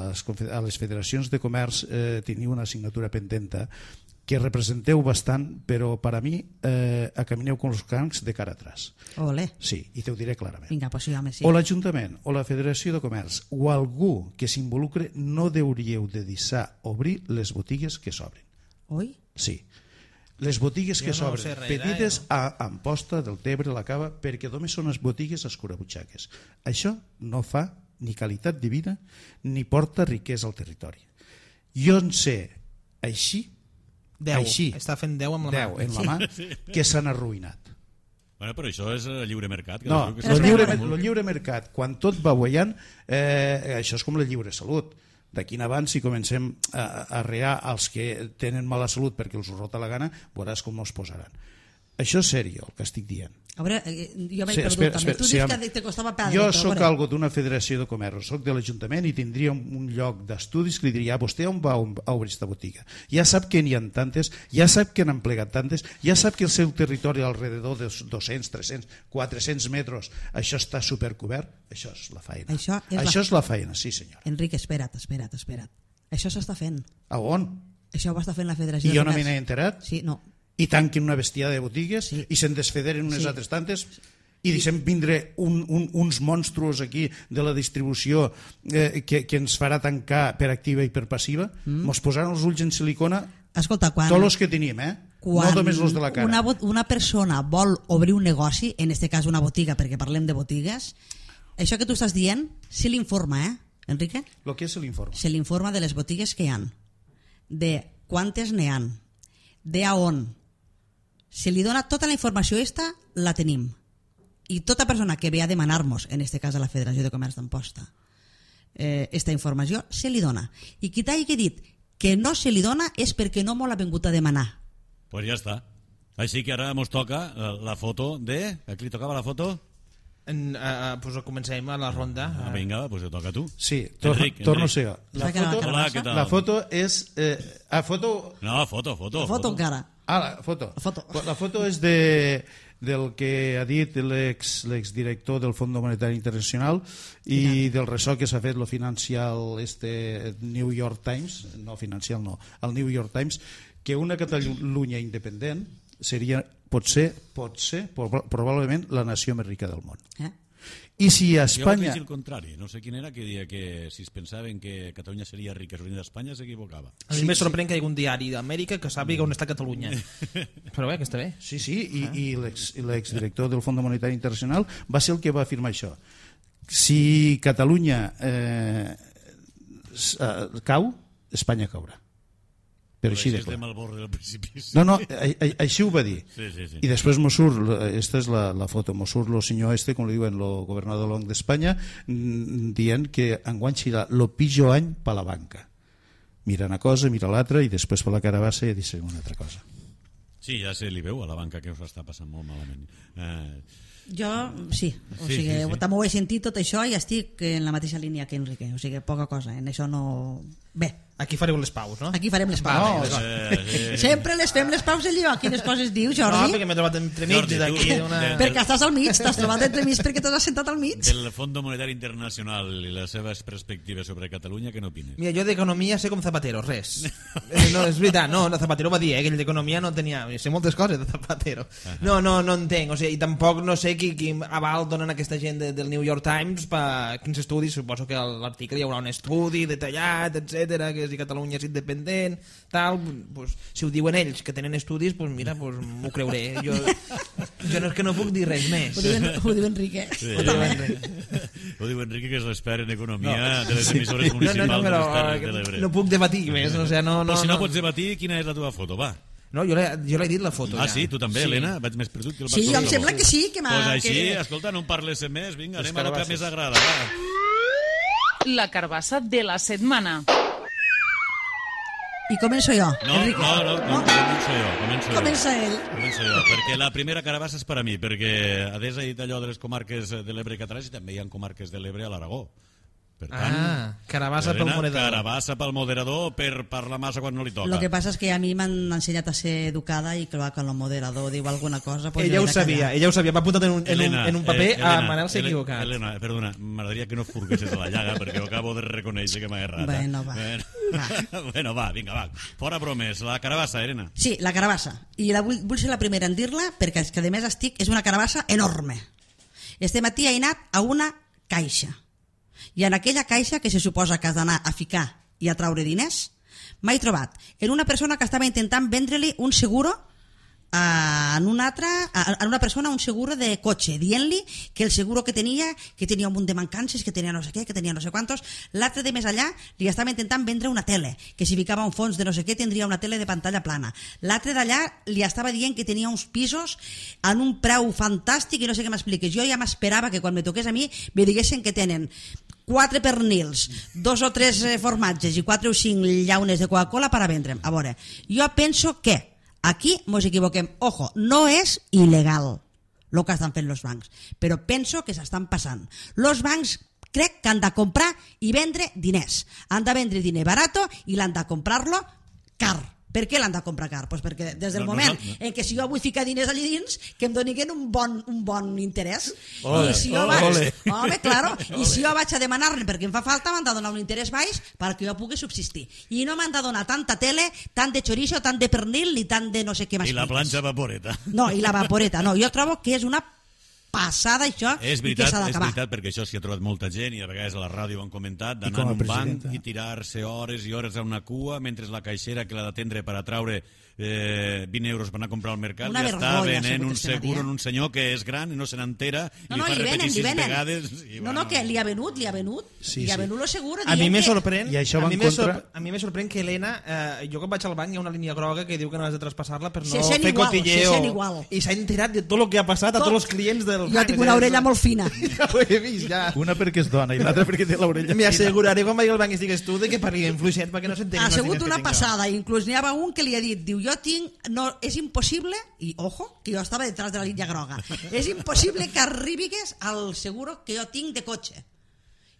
les, confe- a les federacions de comerç eh, tenia una assignatura pendenta que representeu bastant, però per a mi eh, acamineu com els crancs de cara atrás. Ole, Sí, i te ho diré clarament. vinga, pues sí, home, sí. O l'Ajuntament, o la Federació de Comerç, o algú que s'involucre, no hauríeu de deixar obrir les botigues que s'obren. Oi? Sí. Les botigues que Jo no s'obren, sé res, petites eh, a Amposta, del Tebre, la Cava, perquè només són les botigues escurabutxaques. Això no fa ni qualitat de vida ni porta riquesa al territori. Jo en sé així, deu. així, Està fent deu amb la deu mà. en la mà, que s'han arruïnat. Bueno, però això és eh, lliure mercat. Que No, diu que el s'ha lliure, fet molt. el lliure mercat, quan tot va guanyant, eh, això és com la lliure salut. D'aquí en avant, si comencem a, a rear els que tenen mala salut perquè els ho rota la gana, veuràs com no es posaran. Això és sèrio, el que estic dient. A veure, eh, jo m'he Sí, perdut espera, també. espera, Tu sí, dius home. que te costava perdre. Jo però, a sóc veure. algo d'una federació de comerç, sóc de l'Ajuntament i tindria un, un lloc d'estudis que li diria, ah, vostè on va a obrir aquesta botiga? Ja sap que n'hi ha tantes, ja sap que n'han plegat tantes, ja sap que el seu territori alrededor de dos-cents, tres-cents, quatre-cents metres, això està supercobert, això és la feina. Això és això la- és la feina, sí senyor. Enric, espera't, espera't, espera't. Això s'està fent. A on? Això ho està fent la Federació I de jo no Comerç. me n'he enterat? Sí, no. i tanquen una bestiada de botigues sí. i se'n desfederen unes sí. altres tantes i deixem vindre un, un, uns monstruos aquí de la distribució eh, que, que ens farà tancar per activa i per passiva, mm. mos posaran els ulls en silicona. Escolta, quan... tots els que teníem, eh? Quan no només els de la cara. Una, una persona vol obrir un negoci, en este cas una botiga, perquè parlem de botigues, això que tu estàs dient, se l'informa, eh, Enrique? Lo que és l'informa? Se l'informa de les botigues que hi han, de quantes n'hi han, de a on. Se li dona tota la informació esta, la tenim. I tota persona que ve a demanar-nos, en este cas a la Federació de Comerç d'Amposta, eh, esta informació se li dona. I qui t'hagi dit que no se li dona és perquè no m'ho l'ha vingut a demanar. Pues ja està. Així que ara mos toca la, la foto de... A qui li tocava la foto? En, uh, pues comencem a la ronda. Ah, vinga, pues te toca a tu. Sí, tor Enric, torno Enric. a ser. La foto, Hola, què tal? La foto és... Eh, a foto... No, foto, foto. La foto, foto encara. Ah, la foto. La foto, la foto és de... del que ha dit l'ex l'exdirector del Fons Monetari Internacional i ja. del ressò que s'ha fet lo financial este New York Times, no financial no, el New York Times, que una Catalunya independent seria, potser, potser, probablement la nació més rica del món. Eh? I si a Espanya... Jo vaig dir el contrari, no sé quin era, que dia que si es pensaven que Catalunya seria rica i d'Espanya s'equivocava. A mi sí, me sorprèn sí. que hi hagi un diari d'Amèrica que sàpiga on està Catalunya. Però bé, que està bé. Sí, sí, i, ah. i l'exdirector del Fons Monetari Internacional va ser el que va afirmar això. Si Catalunya eh, cau, Espanya caurà. Però així de clar. No, no, a, a, així ho va dir. Sí, sí, sí. I després mos surt, esta és la, la foto, mos surt el senyor este, com li diuen, el governador long d'Espanya, dient que enguany serà el pitjor any per la banca. Mira una cosa, mira l'altra, i després per la cara baixa i dice una altra cosa. Sí, ja se li veu a la banca que us està passant molt malament. Eh... Jo, sí, o sigui, sí, sí, sí. també ho he sentit tot això i estic en la mateixa línia que Enrique, o sigui, poca cosa, en això no... Bé. Aquí fareu les paus, no? Aquí farem les paus. No, eh, eh, Sempre les fem les paus allò. Quines coses dius, Jordi? No, perquè m'he trobat entremig d'aquí. Una... Perquè estàs al mig, t'has trobat entremig perquè t'has assentat al mig. Del Fons Monetari Internacional i les seves perspectives sobre Catalunya, què n'opines? Mira, jo d'economia sé com Zapatero, res. No, és veritat, no, Zapatero va dir eh, que ell d'economia no tenia... Sé moltes coses de Zapatero. No, no, no entenc, o sigui, i tampoc no sé qui, qui aval donen aquesta gent de, del New York Times per quins estudis, suposo que a l'article hi haurà un estudi detallat, etcètera, que si Catalunya és independent, tal, pues, si ho diuen ells que tenen estudis, pues mira, pues m'ho creuré. Jo, jo no és que no puc dir res més. Ho diu, ho diu Enrique. Sí. Ho diu Enrique. Ho diu Enrique, que és l'expert en economia no. de les emissores municipals no, no, no, però, de les Terres de l'Ebre. No puc debatir més. O sea, no, no, pues si no, no pots debatir, quina és la teva foto, va. No, jo l'he dit la foto. Ah, ja. sí? Tu també, sí. Helena? Vaig més perdut que el Sí, jo em sembla que sí. Que pues així, que... escolta, no em parles més. Vinga, anem a lo que més agrada. Va. La carbassa de la setmana. I començo jo, no, Enrique. No, no, no, començo jo. Començo Comença jo. ell. Començo jo, perquè la primera carabassa és per a mi, perquè Adés ha dit allò de les comarques de l'Ebre catalans i també hi ha comarques de l'Ebre a l'Aragó. Per tant, ah, carabassa pel moderador. Carabassa pel moderador per parlar massa quan no li toca. Lo que passa és que a mi m'han ensenyat a ser educada i clar, quan el moderador diu alguna cosa... Pues ella ho sabia, ella ho sabia, m'ha apuntat en un, Elena, en un, en un paper eh, Elena, a Manel s'ha equivocat. Elena, perdona, m'agradaria que no furguessis a la llaga perquè ho acabo de reconèixer que m'ha errat. Bueno, va. Bueno, va. bueno, va, vinga, va. Fora bromes, la carabassa, Elena. Sí, la carabassa. I la vull, vull ser la primera en dir-la perquè és que a més estic, és una carabassa enorme. Este matí he anat a una caixa. I en aquella caixa que se suposa que has d'anar a ficar i a traure diners, m'he trobat en una persona que estava intentant vendre-li un seguro a, en una altra, a, a una persona un seguro de cotxe, dient-li que el seguro que tenia, que tenia un munt de mancances, que tenia no sé què, que tenia no sé quantos. L'altre de més allà li estava intentant vendre una tele, que si ficava un fons de no sé què tindria una tele de pantalla plana. L'altre d'allà li estava dient que tenia uns pisos en un preu fantàstic i no sé què m'expliques. Jo ja m'esperava que quan me toqués a mi me diguessin que tenen quatre pernils, dos o tres formatges i quatre o cinc llaunes de Coca-Cola per a vendre'm. A veure, jo penso que aquí mos equivoquem. Ojo, no és il·legal el que estan fent els bancs, però penso que s'estan passant. Els bancs crec que han de comprar i vendre diners. Han de vendre diner barato i l'han de comprar-lo car, Per què l'han de comprar car? Pues perquè des del No, moment no, no. en què si jo vull ficar diners allà dins, que em donin un bon, un bon interès. Ole, I si jo ole. vaig, home, claro, i si jo vaig a demanar-ne perquè em fa falta, m'han de donar un interès baix perquè jo pugui subsistir. I no m'han de donar tanta tele, tant de chorizo, tant de pernil, ni tant de no sé què més. I la planxa vaporeta. No, i la vaporeta, no. Jo trobo que és una passada això És i que veritat, s'ha és d'acabar. veritat, perquè això s'hi ha trobat molta gent i a vegades a la ràdio ho han comentat, I d'anar com a en un banc presidenta. i tirar-se hores i hores a una cua mentre la caixera que l'ha d'atendre per a traure eh, vint euros per anar a comprar al mercat Una i està vergonya, venent segur un que se n'ha seguro dit. en un senyor que és gran i no se n'entera i No, li no, fa li repetir venen, li sis venen. vegades. I, No, no, que li ha venut, li ha venut. Sí, li ha sí. venut lo seguro. A mi dient me que- sorprèn, I això a va mi en me contra- sorp- a mi me sorprèn que Helena, eh, jo quan vaig al banc hi ha una línia groga que diu que no has de traspassar-la per no Se sent fer igual, cotilleo. se sent igual. I s'ha enterat de tot el que ha passat a Tot. tots els clients del Jo banc. tinc una orella molt fina. Ja ho he vist, ja. Una perquè és dona i l'altra perquè té l'orella M'hi fina. asseguraré quan vagi al banc i estigues tu de que parlem fluixet perquè no s'entengui. Ha els sigut diners que una tinc jo. passada, inclús n'hi havia un que li ha dit, diu, jo tinc, no, és impossible, i ojo, que jo estava detrás de la línia groga, és impossible que arribigues al seguro que jo tinc de cotxe.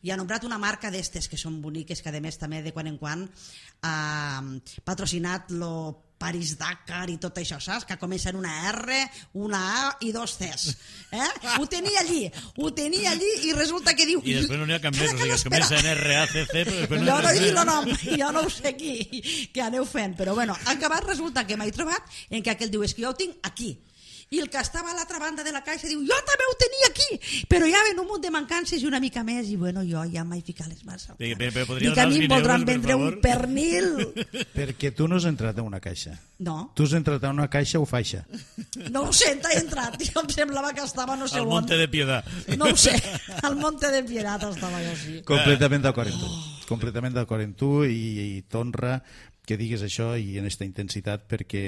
I ha nombrat una marca d'estes que són boniques, que a més també de quan en quan ha patrocinat lo Paris-Dakar i tot això, saps? Que comença en una R, una A i dos Cs. Eh? Ho tenia allí, ho tenia allí i resulta que diu... I després no n'hi ha cap més, Cada o que sigui, es l'espera. comença en R A C C, però després Jo no he dit no el nom, jo no ho sé qui, que aneu fent, però bueno, acabat resulta que m'he trobat en què aquell diu, és que jo ho tinc aquí. I el que estava a l'altra banda de la caixa diu, jo també ho tenia aquí, però ja ven un munt de mancances i una mica més, i bueno, jo ja m'he ficat les mans al Però- cap. però podria Dic, a donar mi els em vint voldran euros, per vendre un favor? pernil. Perquè tu no has entrat en una caixa. No, Tu has entrat en una caixa o faixa. no ho sé, t'he entrat, jo em semblava que estava no sé Al on. Monte de Piedad. No ho sé, al Monte de Piedad estava jo, sí. Completament d'acord amb tu. Completament d'acord amb tu i, i t'honra que digues això i en aquesta intensitat perquè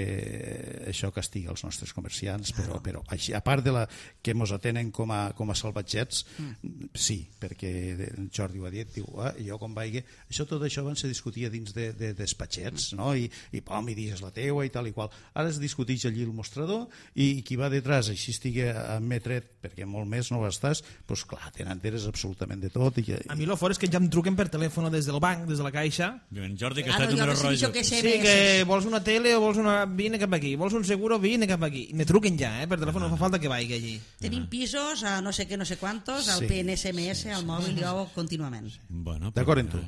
això castiga els nostres comerciants, però, però així, a part de la que ens atenen com a, com a salvatgets, mm. sí, perquè en Jordi ho ha dit, diu, ah, jo quan vaig... Això, tot això abans se discutia dins de, de despatxets, no? I, i pom, i digues la teua i tal i qual. Ara es discuteix allí el mostrador i qui va detrás, així estigui a metret, perquè molt més no ho estàs, doncs clar, te n'enteres absolutament de tot. I, A mi lo fort és que ja em truquen per telèfon des del banc, des de la caixa. En Jordi, que Claro, està jo número no sé rojo. això que sé Sí, més. que vols una tele o vols una... Vine cap aquí. Vols un seguro? Vine cap aquí. I me truquen ja, eh? Per telèfon no fa falta que vagi allí. Tenim pisos a no sé què, no sé quantos, al Sí, P N S M S, al mòbil, jo contínuament. Bueno, D'acord amb tu.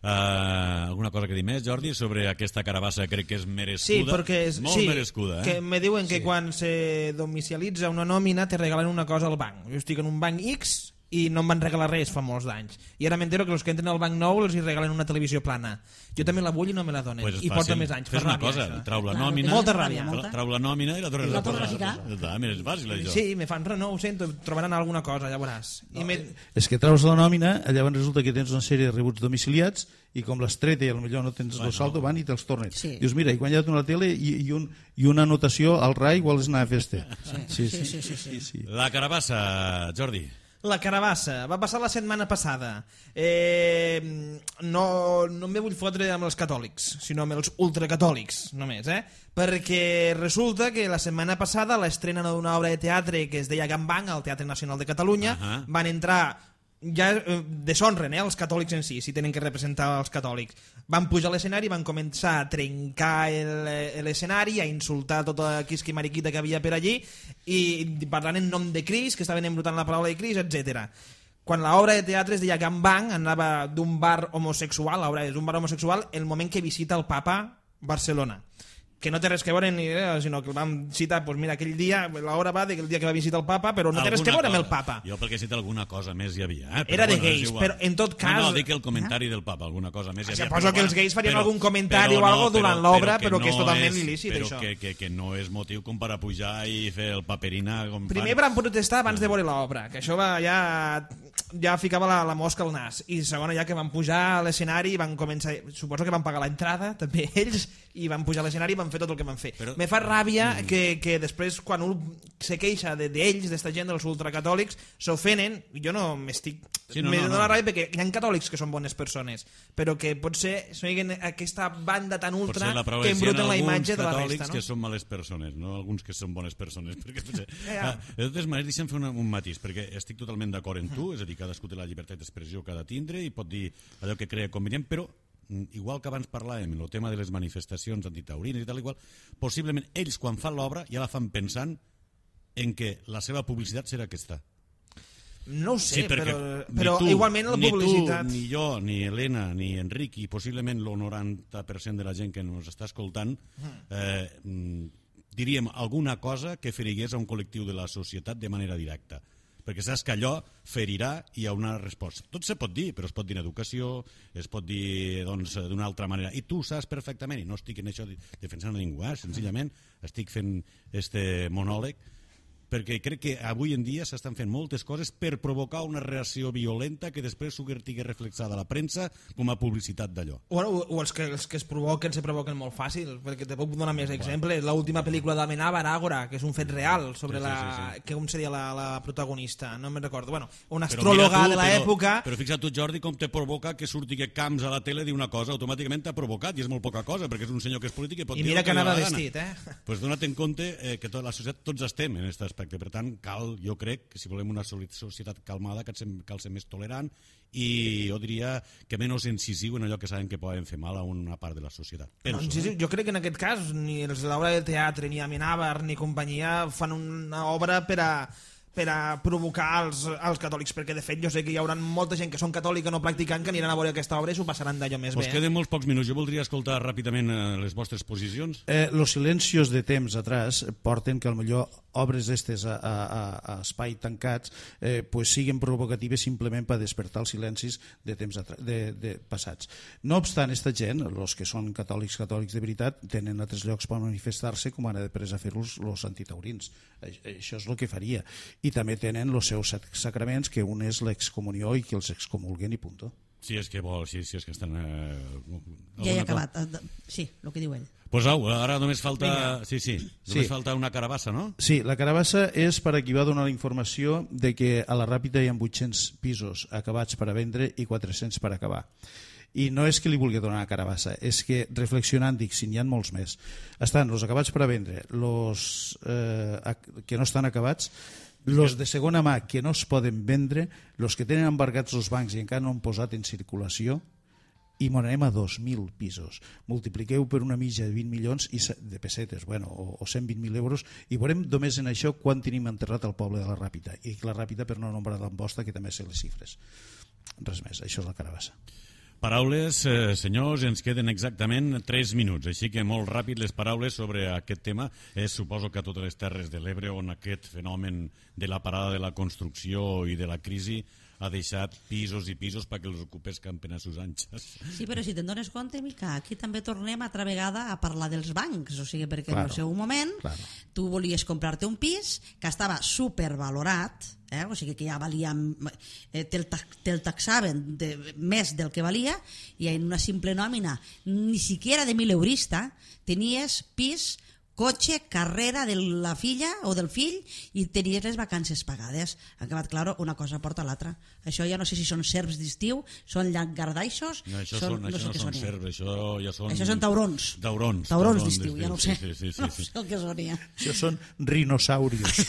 Uh, alguna cosa que dir més, Jordi, sobre aquesta carabassa? Crec que és merescuda. Sí, perquè és, molt sí, merescuda, eh? que me diuen que quan se domicialitza una nòmina te regalen una cosa al banc. Jo estic en un banc X i no em van regalar res fa molts d'anys. I ara m'entero que els que entren al banc nou els hi regalen una televisió plana. Jo també la vull i no me la donen. Pues és I porta fàcil. més anys. Fes Fa una ràbia, cosa, això. trau la Claro, nòmina, té molta ràbia, molta. trau la nòmina i la torres I la a tornes a posar. ficar. Ja està, mira, és fàcil això. Sí, me fan res, no ho sento, trobaran alguna cosa, ja veuràs. I me... És que treus la nòmina, llavors resulta que tens una sèrie de rebuts domiciliats i com l'has tret i potser no tens el saldo, van i te'ls tornen. Sí. Dius, mira, he guanyat una tele i, i, un, i una anotació al R A I vols anar a festa. Sí, Sí, sí, sí, sí. sí. La carabassa, Jordi. La carabassa va passar la setmana passada. Eh, no, no em vull fotre amb els catòlics, sinó amb els ultracatòlics, només, eh? Perquè resulta que la setmana passada a l'estrena d'una obra de teatre que es deia Gambang, al Teatre Nacional de Catalunya, Ahà. van entrar ja eh, deshonren eh, els catòlics en si, si tenen que representar els catòlics. Van pujar a l'escenari, van començar a trencar el- eh, l'escenari, a insultar tota quisqui mariquita que havia per allí i parlant en nom de Cris, que estaven embrutant la paraula de Cris, etcètera. Quan l'obra de teatre es deia Gambang, anava d'un bar homosexual, l'obra és un bar homosexual, el moment que visita el papa Barcelona, que no té res que veure ni idea, sinó que el vam citar, doncs mira, aquell dia, l'hora va del dia que va visitar el papa, però no té res que veure amb el papa. Jo perquè he citat alguna cosa més hi havia. Eh? Però Era de bueno, és gais, igual. però en tot cas- No, no, dic el comentari del papa, alguna cosa més hi havia. Suposo però que els bueno, gais farien però- algun comentari però o algo durant l'obra, però que és no totalment il·lícit, però això. Que, que, que no és motiu com per a pujar i fer el paperina com Primer fan. van protestar abans de veure l'obra, que això va ja ja ficava la, la mosca al nas, i segona ja que van pujar a l'escenari van començar, suposo que van pagar l'entrada també ells, i van pujar a l'escenari i van fer tot el que van fer. Però- Me fa ràbia mm. que, que després quan un se queixa d'ells, de, d'esta gent dels ultracatòlics, s'ofenen, i jo no m'estic Sí, no, me no, dona no. ràbia perquè hi ha catòlics que són bones persones, però que potser són aquesta banda tan ultra Potser la prova que és que hi ha embruten la alguns imatge de la catòlics resta, que no? són males persones, no alguns que són bones persones. Perquè, potser... Ja. ah, de totes maneres, deixa'm fer una, un matís, perquè estic totalment d'acord amb tu, és a dir, cadascú té la llibertat d'expressió que ha de tindre i pot dir allò que crea convenient, però igual que abans parlàvem, el tema de les manifestacions antitaurines i tal i qual, possiblement ells quan fan l'obra ja la fan pensant en què la seva publicitat serà aquesta. No ho sé, sí, però, però tu, igualment la publicitat... Ni tu, ni jo, ni Helena, ni Enric, i possiblement el noranta per cent de la gent que ens està escoltant, eh, diríem alguna cosa que ferigués a un col·lectiu de la societat de manera directa. Perquè saps que allò ferirà i hi ha una resposta. Tot se pot dir, però es pot dir en educació, es pot dir doncs, d'una altra manera. I tu saps perfectament, i no estic en això defensant a ningú, eh? Senzillament estic fent este monòleg, perquè crec que avui en dia s'estan fent moltes coses per provocar una reacció violenta que després s'hugui reflexada a la premsa com a publicitat d'allò. O, o els, que, els que es provoquen se provoquen molt fàcil, perquè te puc donar més exemples. L'última pel·lícula d'Amenábar, Ágora, que és un fet real sobre sí, sí, la... sí, sí. Que com seria la, la protagonista? No me'n recordo. Bueno, una Però astròloga tu, de l'època... Però, però fixa't tu, Jordi, com te provoca que surti que Camps a la tele diu una cosa, automàticament t'ha provocat, i és molt poca cosa, perquè és un senyor que és polític i pot I dir mira que que anava anava vestit, eh? Doncs pues dona't en compte eh, que tota la societat, tots estem en aquest aspecte, per tant, cal, jo crec que si volem una societat calmada cal ser, cal ser més tolerant i jo diria que menys incisiu en allò que saben que poden fer mal a una part de la societat. Penso, no, incisiu, eh? jo crec que en aquest cas ni els de l'obra de teatre, ni Amenábar, ni companyia fan una obra per a per a provocar els, els catòlics, perquè de fet jo sé que hi haurà molta gent que són catòlica no practicant que aniran a veure aquesta obra i s'ho passaran d'allò més pues bé. Queden molts pocs minuts, jo voldria escoltar ràpidament eh, les vostres posicions. Eh, los silencios de temps atrás porten que potser obres d'estes a, a, a, a espai tancats eh, pues siguen provocatives simplement per despertar els silencis de temps de, de passats. No obstant, esta gent, els que són catòlics catòlics de veritat, tenen altres llocs per manifestar-se com han de pres a fer-los els antitaurins. Això és el que faria. I també tenen els seus sacraments, que un és l'excomunió i que els excomulguen i punto. Si és que vol, si, si és que estan... Eh, ja he acabat, sí, el que diu ell. Pues au, ara només falta... Vinga. Sí, sí, només Sí. falta una carabassa, no? Sí, la carabassa és per a qui va donar la informació de que a la Ràpita hi ha vuit-cents pisos acabats per a vendre i quatre-cents per acabar. I no és que li vulgui donar a carabassa, és que reflexionant dic, si n'hi ha molts més, estan els acabats per a vendre, els eh, que no estan acabats, els de segona mà que no es poden vendre, els que tenen embargats els bancs i encara no han posat en circulació, i m'anem a dos mil pisos. Multipliqueu per una mitja de vint milions i de pessetes, bueno, o, o cent vint mil euros, i veurem només en això quan tenim enterrat el poble de la Ràpita, i la Ràpita per no nombrar l'Amposta, que també sé les xifres. Res més, això és la carabassa. Paraules, eh, senyors, ens queden exactament tres minuts, així que molt ràpid les paraules sobre aquest tema. És, suposo que a totes les Terres de l'Ebre, on aquest fenomen de la parada de la construcció i de la crisi ha deixat pisos i pisos perquè els ocupes campen a sus anxes. Sí, però si te'n dones compte, Mica, aquí també tornem altra vegada a parlar dels bancs, o sigui, perquè claro, en el seu moment claro. Tu volies comprar-te un pis que estava supervalorat, eh? O sigui que ja valia, eh, te'l te taxaven de, més del que valia, i en una simple nòmina, ni siquiera de mil eurista, tenies pis, cotxe, carrera de la filla o del fill i tenies les vacances pagades. Ha acabat, claro, una cosa porta l'altra. Això ja no sé si són serps d'estiu, són llangardaixos... No, això, són, són, no això sé no són serps, això ja són... Això són taurons. Taurons. Taurons d'estiu, ja no ho sé. Sí, sí, sí, no sí. sé el que sonia. Això són rinosaurios.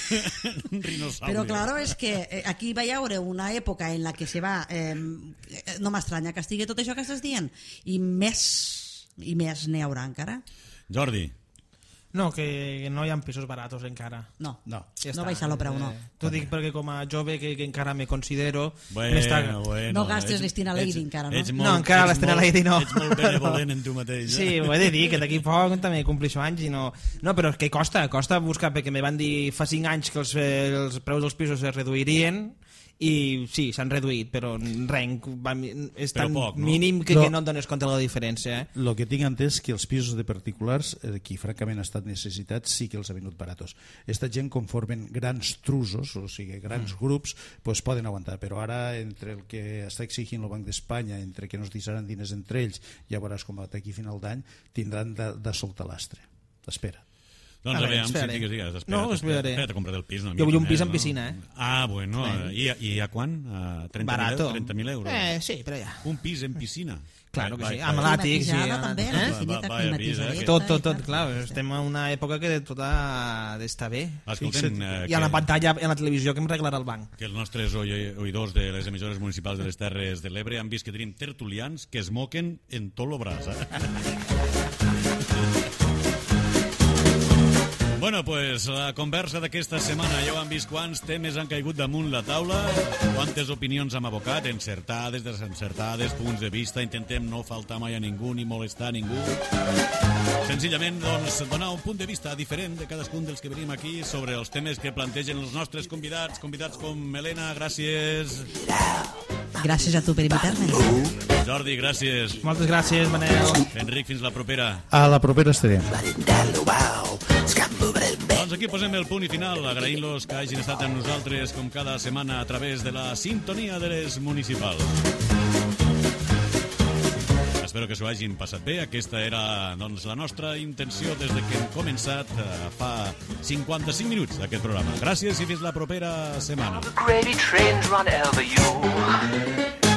Rinosaurios. Però claro, és que eh, aquí va hi haure una època en la que se va... Eh, no m'estranya que estigui tot això que estàs dient. I més, i més n'hi haurà encara. Jordi. No, que no hi ha pisos baratos encara. No, no, ja no baixa el preu, no. Eh, T'ho dic perquè com a jove que, que encara me considero... Bueno, bueno, no gastes l'Estina Lady encara, no? Molt, no, encara l'Estina Lady no. Ets molt benevolent en tu mateix. Eh? Sí, ho he de dir, que d'aquí poc també complixo anys i no... No, però que costa, costa buscar, perquè me van dir fa cinc anys que els, els preus dels pisos es reduirien i sí, s'han reduït, però res, és tan poc, no? mínim que, no. que no et dones compte de la diferència. Eh? El que tinc entès que els pisos de particulars, eh, qui francament ha estat necessitats, sí que els ha venut baratos. Esta gent conformen grans trusos, o sigui, grans mm. grups, pues poden aguantar, però ara entre el que està exigint el Banc d'Espanya, entre que no es deixaran diners entre ells, ja veuràs com d'aquí a final d'any tindran de, de soltar l'astre. Espera. Doncs a veure, si digues, digues, espera't, no, espera't, espera't a comprar el pis. No, jo vull un pis no? amb piscina, eh? Ah, bueno, i, i a quan? A trenta mil euros? Eh, sí, però ja. Un pis en piscina? Claro que Vai, sí, vai, amb vai. l'àtic, sí. Climatitzada, també, la Eh? piscineta Va- va- climatitzada. avisa, Tot, tot, tot, clar, estem en una època que tot ha d'estar bé. Escoltem, eh, I a la que- pantalla, en la televisió, que em reglarà el banc. que els nostres oi- oïdors de les emissores municipals de les Terres de l'Ebre han vist que tenim tertulians que es moquen en tot lo braç. Eh? Bueno, pues la conversa d'aquesta setmana ja ho han vist quants temes han caigut damunt la taula, quantes opinions hem abocat, encertades, desencertades, punts de vista, intentem no faltar mai a ningú ni molestar a ningú. Senzillament, doncs, donar un punt de vista diferent de cadascun dels que venim aquí sobre els temes que plantegen els nostres convidats, convidats com Helena, gràcies. Gràcies a tu per invitar-me. Jordi, gràcies. Moltes gràcies, Manel. Enric, fins la propera. A la propera estarem. Doncs aquí posem el punt i final, agraint-los que hagin estat amb nosaltres com cada setmana a través de la sintonia de les municipals. Espero que s'ho hagin passat bé. Aquesta era, doncs, la nostra intenció des de que hem començat eh, fa cinquanta-cinc minuts aquest programa. Gràcies i fins la propera setmana. The gravy trains run over you.